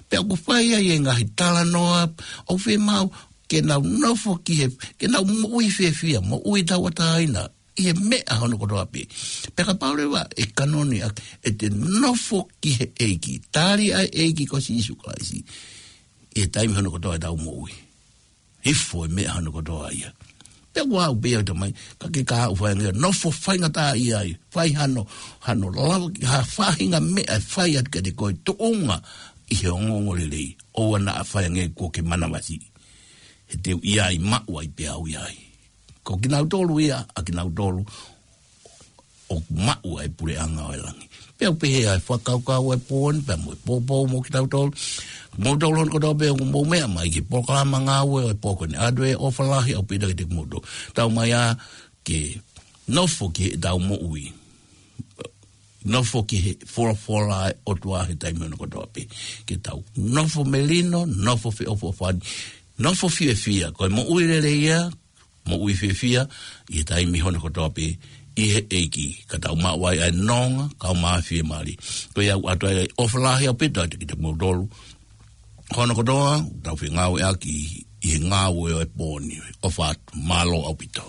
Pea ʻoku fai ai e ngaahi talanoa, ʻoku fiemaʻu ke nau nofo ki he, ke nau moʻui fiefia, moʻui tauʻatāina, ʻi he meʻa hono kotoa pē. Pea kapau leva ʻe kanoni ʻa, ʻe te nofo ki he ʻEiki, tali ʻa e ʻEiki ko Sīsū Kalaisi, ʻi he taimi hono kotoa ʻetau moʻui. Hifo e meʻa hono kotoa ia. Pea ʻoku ou pehē atu mai, ka ke ka ʻoku fai ange, nofo faingataʻaʻia ai, fai hano, hano lava, ha faʻahinga meʻa ʻe fai atu kiate koe tuʻunga ʻi he ongoongolelei, ʻoua naʻa fai ange kuo ke manavasiʻi. He te u ʻi ai, maʻu ai pē au ʻi ai. Ko kinautolu ia, ʻa kinautolu ʻoku maʻu ʻa e puleʻanga ʻo e langi. Pea u pehē ʻa e fakakaukau ʻa e pō ni, pea mo e poupou mo kitautolu. Moutolu hono kotoa pē ʻoku mou meʻa mai ki he polokalama ngāue ʻo e pō ko eni, ʻoatu e ʻofa lahi ʻaupito kiate kimoutolu. Tau mai ā ke nofo ki heʻetau moʻui. Nofo ki he folofola ʻa e ʻOtua he taimi hono kotoa pē. Ke tau nofo melino, nofo feʻofoʻofani, nofo fiefia. Ko e moʻui lelei ia, moʻui fiefia, ʻi he taimi hono kotoa pē, ʻi he ʻEiki, ka tau maʻu ai ʻa e nonga, kau mā fiemālie. Ko ia ʻoku ʻoatu ai ʻofa lahi ʻaupito atu kiate kimoutolu. Hono kotoa, tau fengāueʻaki, ʻi he ngāue ʻo e pō ni, ʻofa atu, mālō ʻaupito.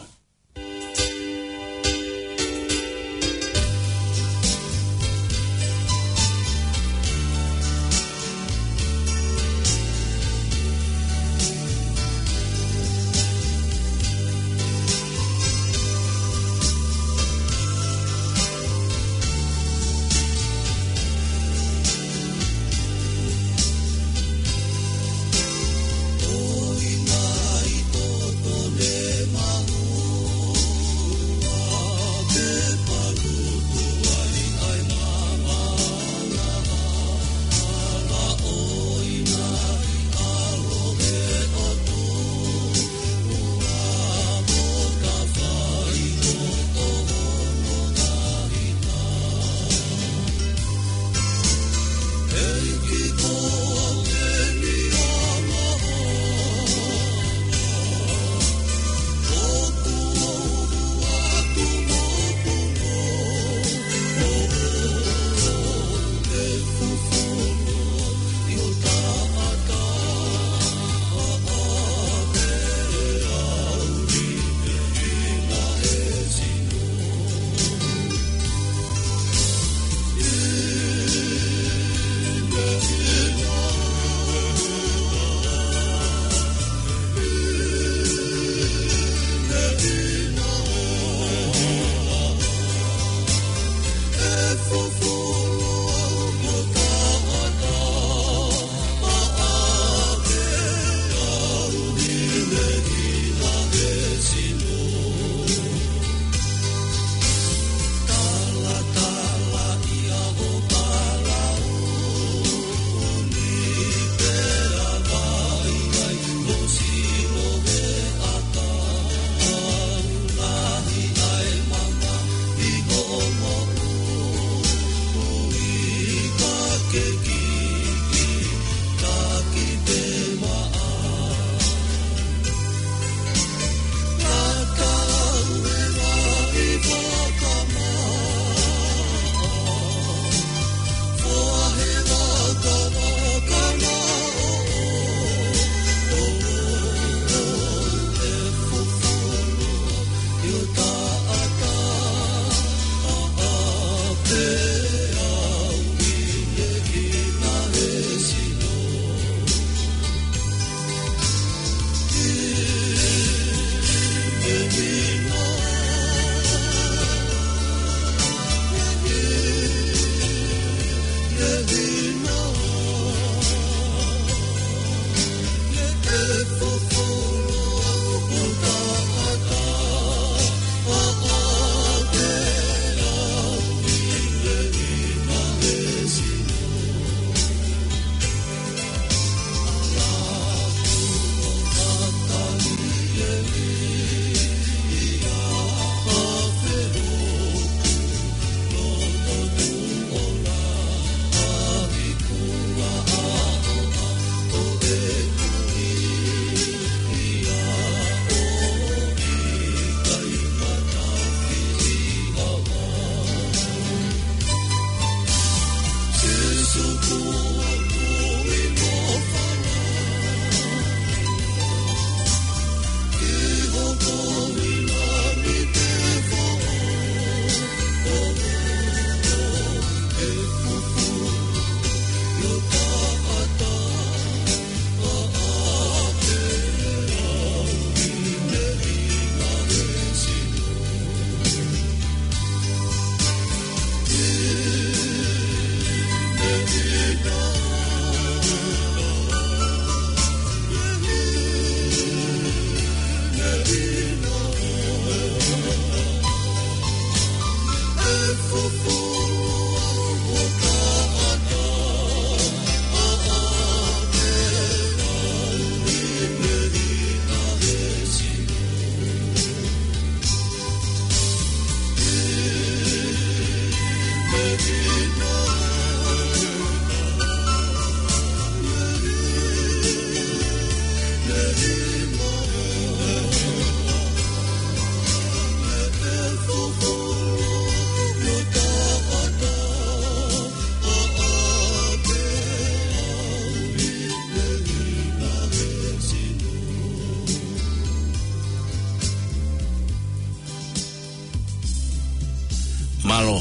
ʻAlo,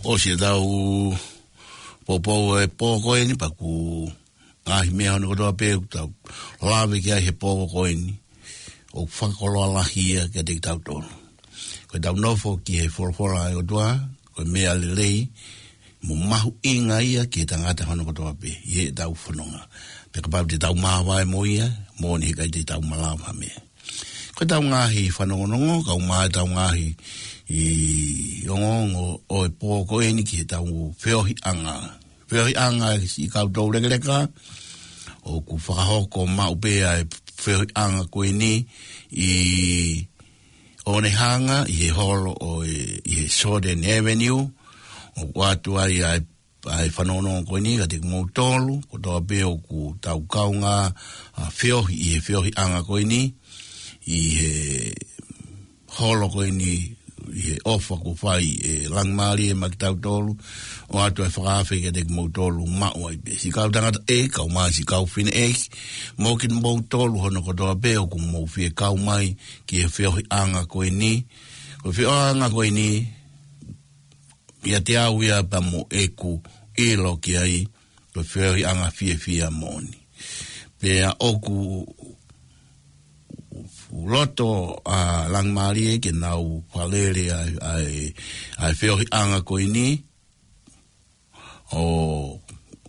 ʻosi ʻetau poupou ʻo e pō ko eni, pea ko e ngaahi meʻa hono kotoa pē ʻoku tau lave ki ai he pō ko eni, ʻoku fakakoloa lahi ia kiate kitautolu. Ko ʻetau nofo ki he folofola ʻa e ʻOtua, ko e meʻa lelei mo mahuʻinga ia ki he tangata hono kotoa pē ʻi heʻetau fononga. Pea kapau te tau māvae mo ia, moʻoni heʻikai te tau malava ha meʻa. Ko ʻetau ngaahi fanongonongo, kau mai ʻetau ngaahi ongoongo ʻo e pō ko eni ki heʻetau feohiʻanga. Feohiʻanga ʻa e siʻi kau toulekeleka, ʻoku fakahoko maʻu pē ʻa e feohiʻanga ko eni ʻi ʻOnehanga, ʻi he holo ʻo e, ʻi he Shorten Avenue, ʻoku ʻoatu ai ʻa e ʻa e fanongonongo ko eni kiate kimoutolu kotoa pē ʻoku tau kaungā, ʻa, feohi ʻi he feohiʻanga ko eni, ʻi he holo ko eni, ʻi he ʻofa kuo fai ʻe Langimālie maʻa kitautolu, ʻoatu ʻa e fakaafe kiate kimoutolu maʻu ai pē. Siʻi kau tangataʻeiki, kau mai siʻi kau fineʻeiki, mo kimoutolu hono kotoa pē ʻoku mou fie kau mai ki he feohiʻanga ko eni. Ko e feohiʻanga ko eni, ʻiate au ia pea mo ʻeku ʻilo ki ai, ko e feohiʻanga fiefia moʻoni. Pea ʻoku loto ʻa Langimālie ke nau fakalele ʻa e, ʻa e, ʻa e feohiʻanga ko eni, ʻo,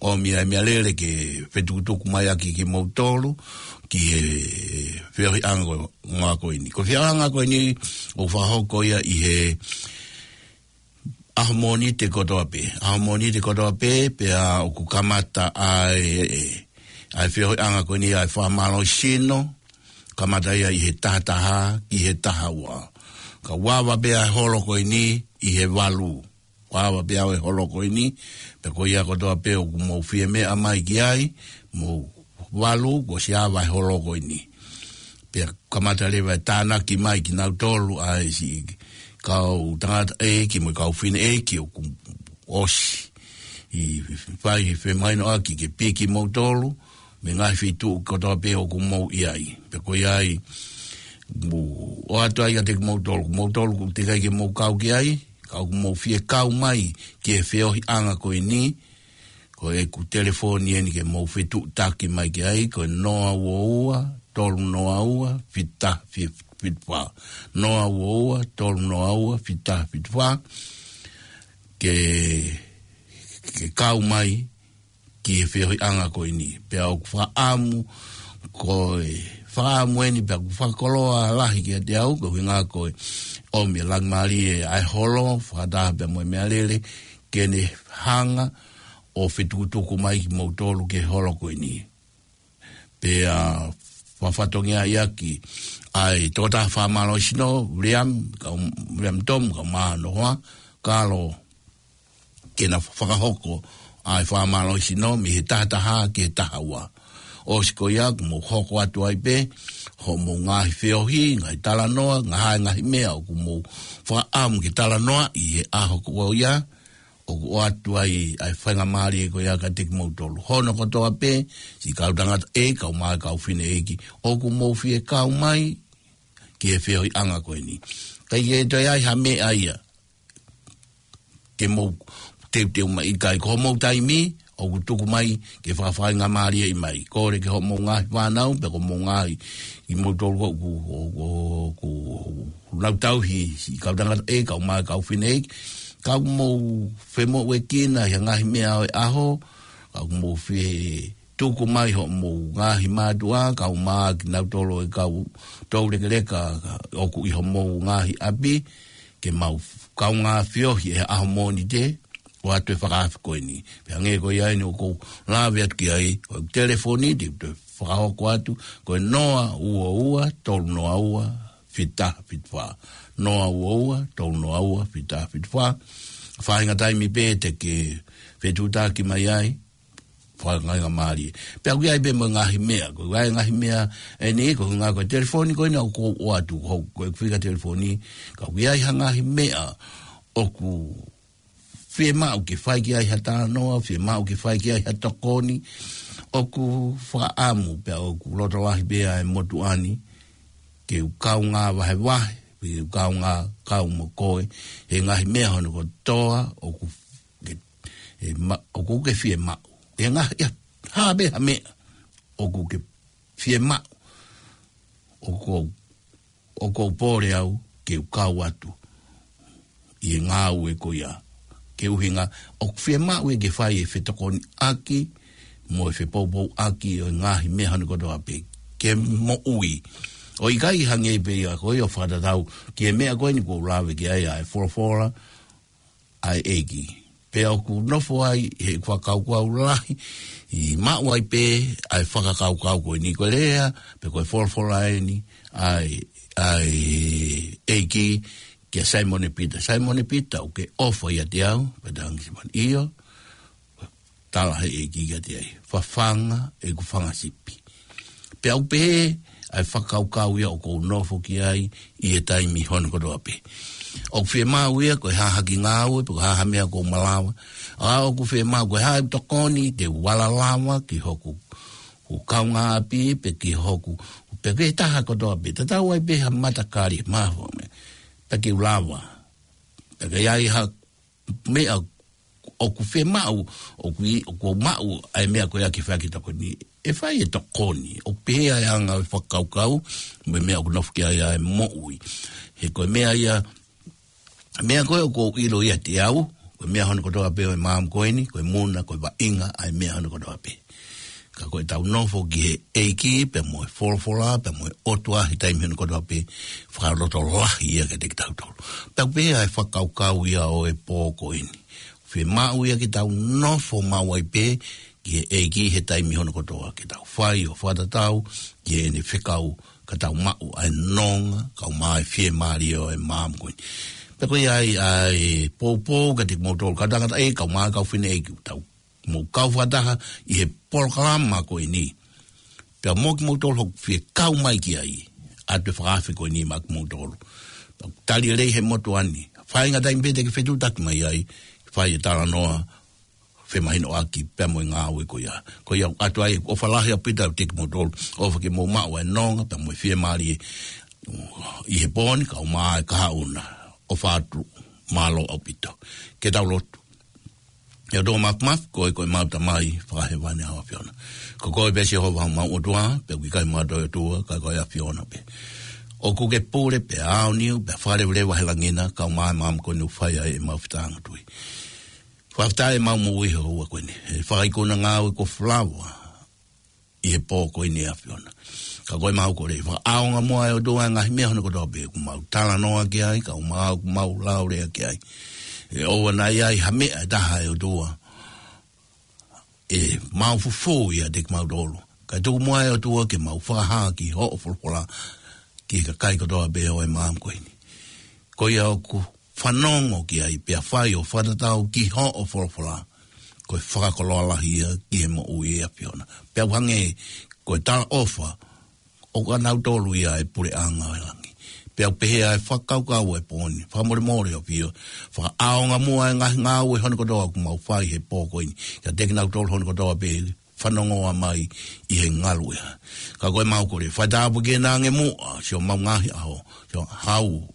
ʻomi ʻa e meʻalele ke fetukutuku mai ʻaki kimoutolu ki he feohiʻanga ko, ngā ko eni. Ko e feohiʻanga ko eni ʻoku fakahoko ia ʻi he ʻaho Mōnite kotoa pē. ʻAho Mōnite kotoa pē, pea ʻoku kamata ʻa e, ʻa e feohiʻanga ko eni ʻa e fakamālohisino, kamata ia ʻi he taha taha ki he taha ua. Ka ʻoku ava pē ʻa e holo ko eni ʻi he valu. ʻOku ava pē ʻa e holo ko eni, pea ko ia kotoa pē ʻoku mou fie meʻa mai ki ai, mou valu, kuo ʻosi ava ʻa e holo ko eni. Pea kamata leva ʻe tānaki mai kinautolu ʻa e siʻi kau tangataʻeiki mo e kau fineʻeiki ʻoku ʻosi ʻi fai he femahinoʻaki ke piki moutolu mei he ngaahi feituʻu kotoa pē ʻoku mou ʻi ai. Pea ko ia ai, mou ʻoatu ai kiate kimoutolu, moutolu ʻoku teʻeki ai ke mou kau ki ai, ka ʻoku mou fie kau mai ki he feohiʻanga ko eni, ko ʻeku telefoni eni ke mou fetuʻutaki mai ki ai, ko e noa ua ua, tolu noa ua, fitu taha fitu fā. Noa ua ua, tolu noa ua, fitu taha fitu fā. Ke, ke kau mai ki he feohiʻanga ko eni. Pea ʻoku fakaʻamu, ko e fakaʻamu eni pea ʻoku fakakoloa lahi kiate au, ko e ʻuhinga ko e ʻomi ʻe Langimālie ʻa e holo, fakataha pea mo e meʻalele, ke ne hanga ʻo fetukutuku mai kimoutolu ki he holo ko eni. Pea fakafatongia ʻaki ʻa e tokotaha fakamālohisino, William, kau William Tom, kau mai hono hoa, Kalo, ke na fakahoko ʻa e fakamālohisino mei he taha taha ki he taha ua. ʻOsi ko ia, ʻoku mou hoko atu ai pē hoʻomou ngaahi feohi, ngaahi talanoa, ngaahi, ngaahi meʻa ʻoku mou fakaʻamu ke talanoa ʻi he ʻaho ko ia, ʻoku ʻoatu ai ʻa e faingamālie ko ia kiate kimoutolu. Hono kotoa pē, siʻi kau tangataʻeiki, kau mai kau fineʻeiki, ʻoku mou fie kau mai ki he feohiʻanga ko eni. ʻIkai ke toe ʻi ai ha meʻa ia ke mou teuteu mai, ʻikai, ko hoʻomou taimi ʻoku tuku mai ke fakafaingamālieʻi mai. Kole ki hoʻomou ngaahi fānau, pe ko hoʻomou ngaahi, kimoutolu ʻoku, ʻoku, ʻoku nau tauhi, siʻi kau tangataʻeiki, kau mai kau fineʻeiki, ka ʻoku mou femoʻuekina ʻi he ngaahi meʻa ʻo e ʻaho, ka ʻoku mou fie tuku mai hoʻomou ngaahi mātuʻa, kau mai kinautolu ʻa e kau toulekeleka ʻoku ʻi hoʻomou ngaahi ʻapi, ke mou kaungā feohi he ʻaho Mōnite, ʻoatu e fakaafe ko eni. Pea hangē ko ia eni ʻoku ou lave atu ki ai, ko e telefoni, te u toe fakahoko atu, ko e noa ua ua, tolu noa ua, fitu taha fitu fā. Noa ua ua, tolu noa ua, fitu taha fitu fā. Faʻahinga taimi pē te ke fetuʻutaki mai ai, fakafaingamālie. Pea ʻoku ʻi ai pē mo e ngaahi meʻa, ko e ngaahi meʻa eni, ko e ʻuhinga ko e telefoni ko ena ʻoku ou ʻoatu, ko, ko e fika telefoni, ka ʻoku ʻi ai ha ngaahi meʻa ʻoku fiemaʻu ke fai ki ai ha talanoa, fiemaʻu ke fai ki ai ha tokoni, ʻoku fakaʻamu pea ʻoku loto lahi pē ʻa e motuʻa ni, ke u kaungā vahevahe, ʻi he kaungā kau mo koe, he ngaahi meʻa hono kotoa ʻoku ke, e ma-, ʻoku ke fiemaʻu. He ngaahi, ia, ha meʻa, ha meʻa ʻoku ke fiemaʻu, ʻoku ou, ʻoku ou pole au ke u kau atu ʻi he ngāue ko ia. Ke ʻuhinga, ʻoku fiemaʻu ia ke fai e fetokoniʻaki mo e fepoupouʻaki ʻo e ngaahi meʻa hono kotoa pē ke moʻui. ʻOku ʻikai hangē pē ia ko ia ʻo fakatatau ki he meʻa ko eni ʻoku ou lave ki ai, ʻa e folofola ʻa e ʻEiki. Pea ʻoku nofo ai he fakakaukau lahi, ʻi maʻu ai pē ʻa e fakakaukau ko eni, ko e lea, pe ko e folofola eni ʻa e, ʻa e ʻEiki kia Saimone Pita. Saimone Pita, ʻoku ke ʻofa ʻiate au? Pea talaange ʻe Saimone, ʻio. Tala ʻe he ʻEiki kiate ia, fafanga ʻeku fanga sipi. Pea ʻoku pehē ʻa e fakakaukau ia ʻoku ou nofo ki ai ʻi he taimi hono kotoa pē. ʻOku fiemaʻu ia ko e hā ha kiʻi ngāue, pe ko e hā ha meʻa ʻoku ou malava. ʻA ʻoku fiemaʻu ko e hā ʻeku tokoni, te u vala lava ki hoku, hoku kaungāʻapi, pe ki hoku, pe ki he taha kotoa pē. Tatau ai pē ha matakali, maho me. Pea ke u lava. Pea ke ʻi ai ha meʻa ʻoku fiemaʻu, ʻoku ʻi, ʻoku ou maʻu ʻa e meʻa ko ia ke fai ha kiʻi tokoni. ʻE fai e tokoni, ʻoku pehē ʻa e anga ʻo e fakakaukau, mo e meʻa ʻoku nofo ki ai ʻa e moʻui. He ko e meʻa ia, meʻa ko ē ʻoku ou ʻilo ʻiate au, ko e meʻa hono kotoa pē ʻo e maama ko eni, ko e muna, ko e vaʻinga ʻa e meʻa hono kotoa pē. Ka ko ʻetau nofo ki he ʻEiki, pea mo e folofola, pea mo e ʻOtua he taimi hono kotoa pē, fakalotolahi ia kiate kitautolu. Pea ʻoku pehē ʻa e fakakaukau ia ʻo e pō ko eni. Fiemaʻu ia ke tau nofo maʻu ai pē ki he ʻEiki he taimi hono kotoa, ke tau fai ʻo fakatatau ki heʻene fekau, ka tau maʻu ʻa e nonga, kae ʻumaʻā e fiemālie ʻo e maama ko eni. Pea ko ia ai ʻa e poupou kiate kimoutolu kau tangataʻeiki, kae ʻumaʻā e kau fineʻeiki, tau mou kau fakataha ʻi he polokalama ko eni. Pea mo kimoutolu ʻoku fie kau mai ki ai, ʻoatu e fakaafe ko eni maʻa kimoutolu. Pea tali lelei he motuʻa ni. Faingataʻa pē te ke fetuʻutaki mai ai, fai e talanoa femahinoʻaki pea mo e ngāue ko ia. Ko ia ʻoatu ai ʻofa lahi ʻaupito ʻiate kimoutolu. ʻOfa ke mou maʻu ʻa e nonga, pea mo e fiemālie ʻi he pō ni, kae ʻumaʻā e kahaʻu na. ʻOfa atu, mālō ʻaupito. Ke tau lotu. ʻE ʻOtua Māfimafi, ko koe ko ʻemau Tamai Fakahēvani ʻa e ʻAfiona. Ko koe pē Sihova homau ʻOtua, pea ʻoku ʻikai ha toe ʻOtua, ka ko e ʻAfiona pē. ʻOku ke pule pē ʻaoniu, pea fakaleveleva he langi na, kae ʻumaʻā e maama ko eni ʻoku fai ai ʻemau fetāngatui. Fakafetaʻi ʻemau moʻui he houa ko eni. He fakaikuna ngāue kuo fai lava ʻi he pō ko eni ʻe ʻAfiona. Ka ko ʻemau kole, fakaʻaonga muʻa ʻe ʻOtua e ngaahi meʻa hono kotoa pē, ʻoku mau talanoa ki ai, kae ʻumaʻā ʻoku mau lau lea ki ai. ʻE ʻoua naʻa ʻi ai ha meʻa ʻe taha ʻe ʻOtua ʻe maʻu fufū ʻiate kimautolu. Kae tuku muʻa ʻe ʻOtua ke mau fakahā ki hoʻo folofola, ki he kakai kotoa pē ʻo e maama ko eni. Ko ia ʻoku fanongo ki ai, pea fai ʻo fakatatau ki hoʻo folofola, ko e fakakoloa lahi ia ki he moʻui ʻe ʻAfiona. Pea ʻoku hangē ko e talaʻofa ʻo kinautolu ia ʻa e puleʻanga ʻo e langi. Pea ʻoku pehē ʻa e fakakaukau ʻo e pō ni, fakamolemole ʻo pio, fakaʻaonga muʻa e ngaahi ngāue hono kotoa ʻoku mau fai he pō ko eni, kiate kinautolu hono kotoa pē fanongo mai ʻi he ngaluʻea. Ka ko ʻemau kole, fai tāpuekina ange muʻa siʻomau ngaahi ʻaho, siʻo Hau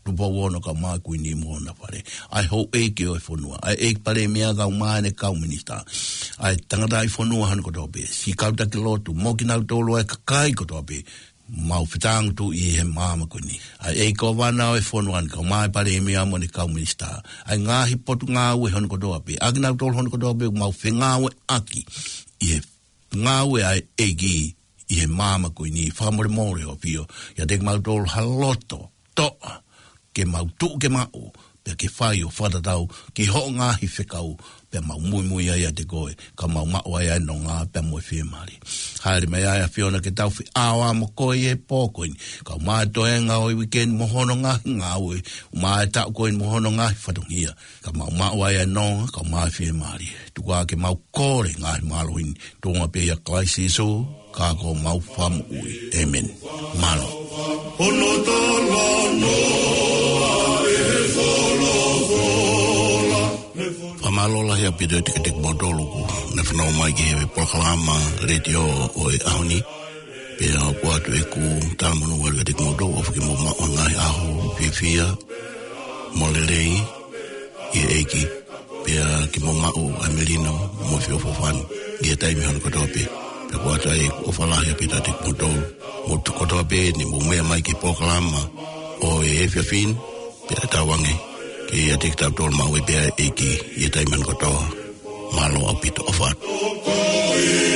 Tupou Ono kae ʻumaʻā e Kuini mo hona fale, ʻa e houʻeiki ʻo e fonua, ʻa e ʻEiki Palēmia kae ʻumaʻā ʻene kau minisitā, ʻa e tangataʻi fonua hono kotoa pē, siʻi kau taki lotu, mo kinautolu ʻa e kakai kotoa pē, mau fetāngatui he maama ko eni. ʻA e ʻEiki Kōvana ʻo e fonua ni kae ʻumaʻā e Palēmia mo ʻene kau minisitā, ʻa e ngaahi potungāue hono kotoa pē, ʻa kinautolu hono kotoa pē ʻoku mau fengāueʻaki ʻi he ngāue ʻa e ʻEiki ʻi he maama ko eni, fakamolemole ʻo pio, ʻiate kimautolu ha loto toʻa, ke mau tuʻu ke maʻu, pea ke fai ʻo fakatatau ki hoʻo ngaahi fekau, pea mau muimui ai ʻiate koe, kae mau maʻu ai ʻa e nonga, pea mo e fiemālie. Hāʻele mai ʻa e ʻAfiona ke tau feʻao mo koe ʻi he pō ko eni, kae ʻumaʻā e toenga ʻo e uike ni mo hono ngaahi ngāue, ʻumaʻā e taʻu ko eni mo hono ngaahi fatongia, kae mau maʻu ai ʻa e nonga, kae ʻumaʻā e fiemālie. Tuku ā ke mau kole ngaahi mālohi ni, tuʻunga pē ʻia Kalaisi Sīsū, ka ko homau Fakamoʻui. ʻĒmeni. Mālō. Hono talanoa ʻe he folofola. Fakamālō lahi ʻaupito ʻiate kimoutolu kuo ne fanongo mai ki he polokalama letiō ʻo e ʻaho ni. Pea ʻOatu ʻeku talamonū ʻalu kiate kimoutolu, ʻofa ke mou maʻu ha ngaahi ʻaho fiefia mo lelei ʻi he ʻEiki. Pea ke mou maʻu ʻa e melino mo e feʻofoʻofani ʻi he taimi hono kotoa pē. Pea ʻoatu ʻeku ʻofa lahi ʻaupito kiate kimoutolu. Mou tuʻu kotoa pē ni mou meʻa mai ki he polokalama ʻo e efiafi ni, pea tauange ke ʻiate kitautolu maʻu e pea ʻEiki ʻi he taimi hono kotoa. Mālō ʻaupito, ʻofa atu.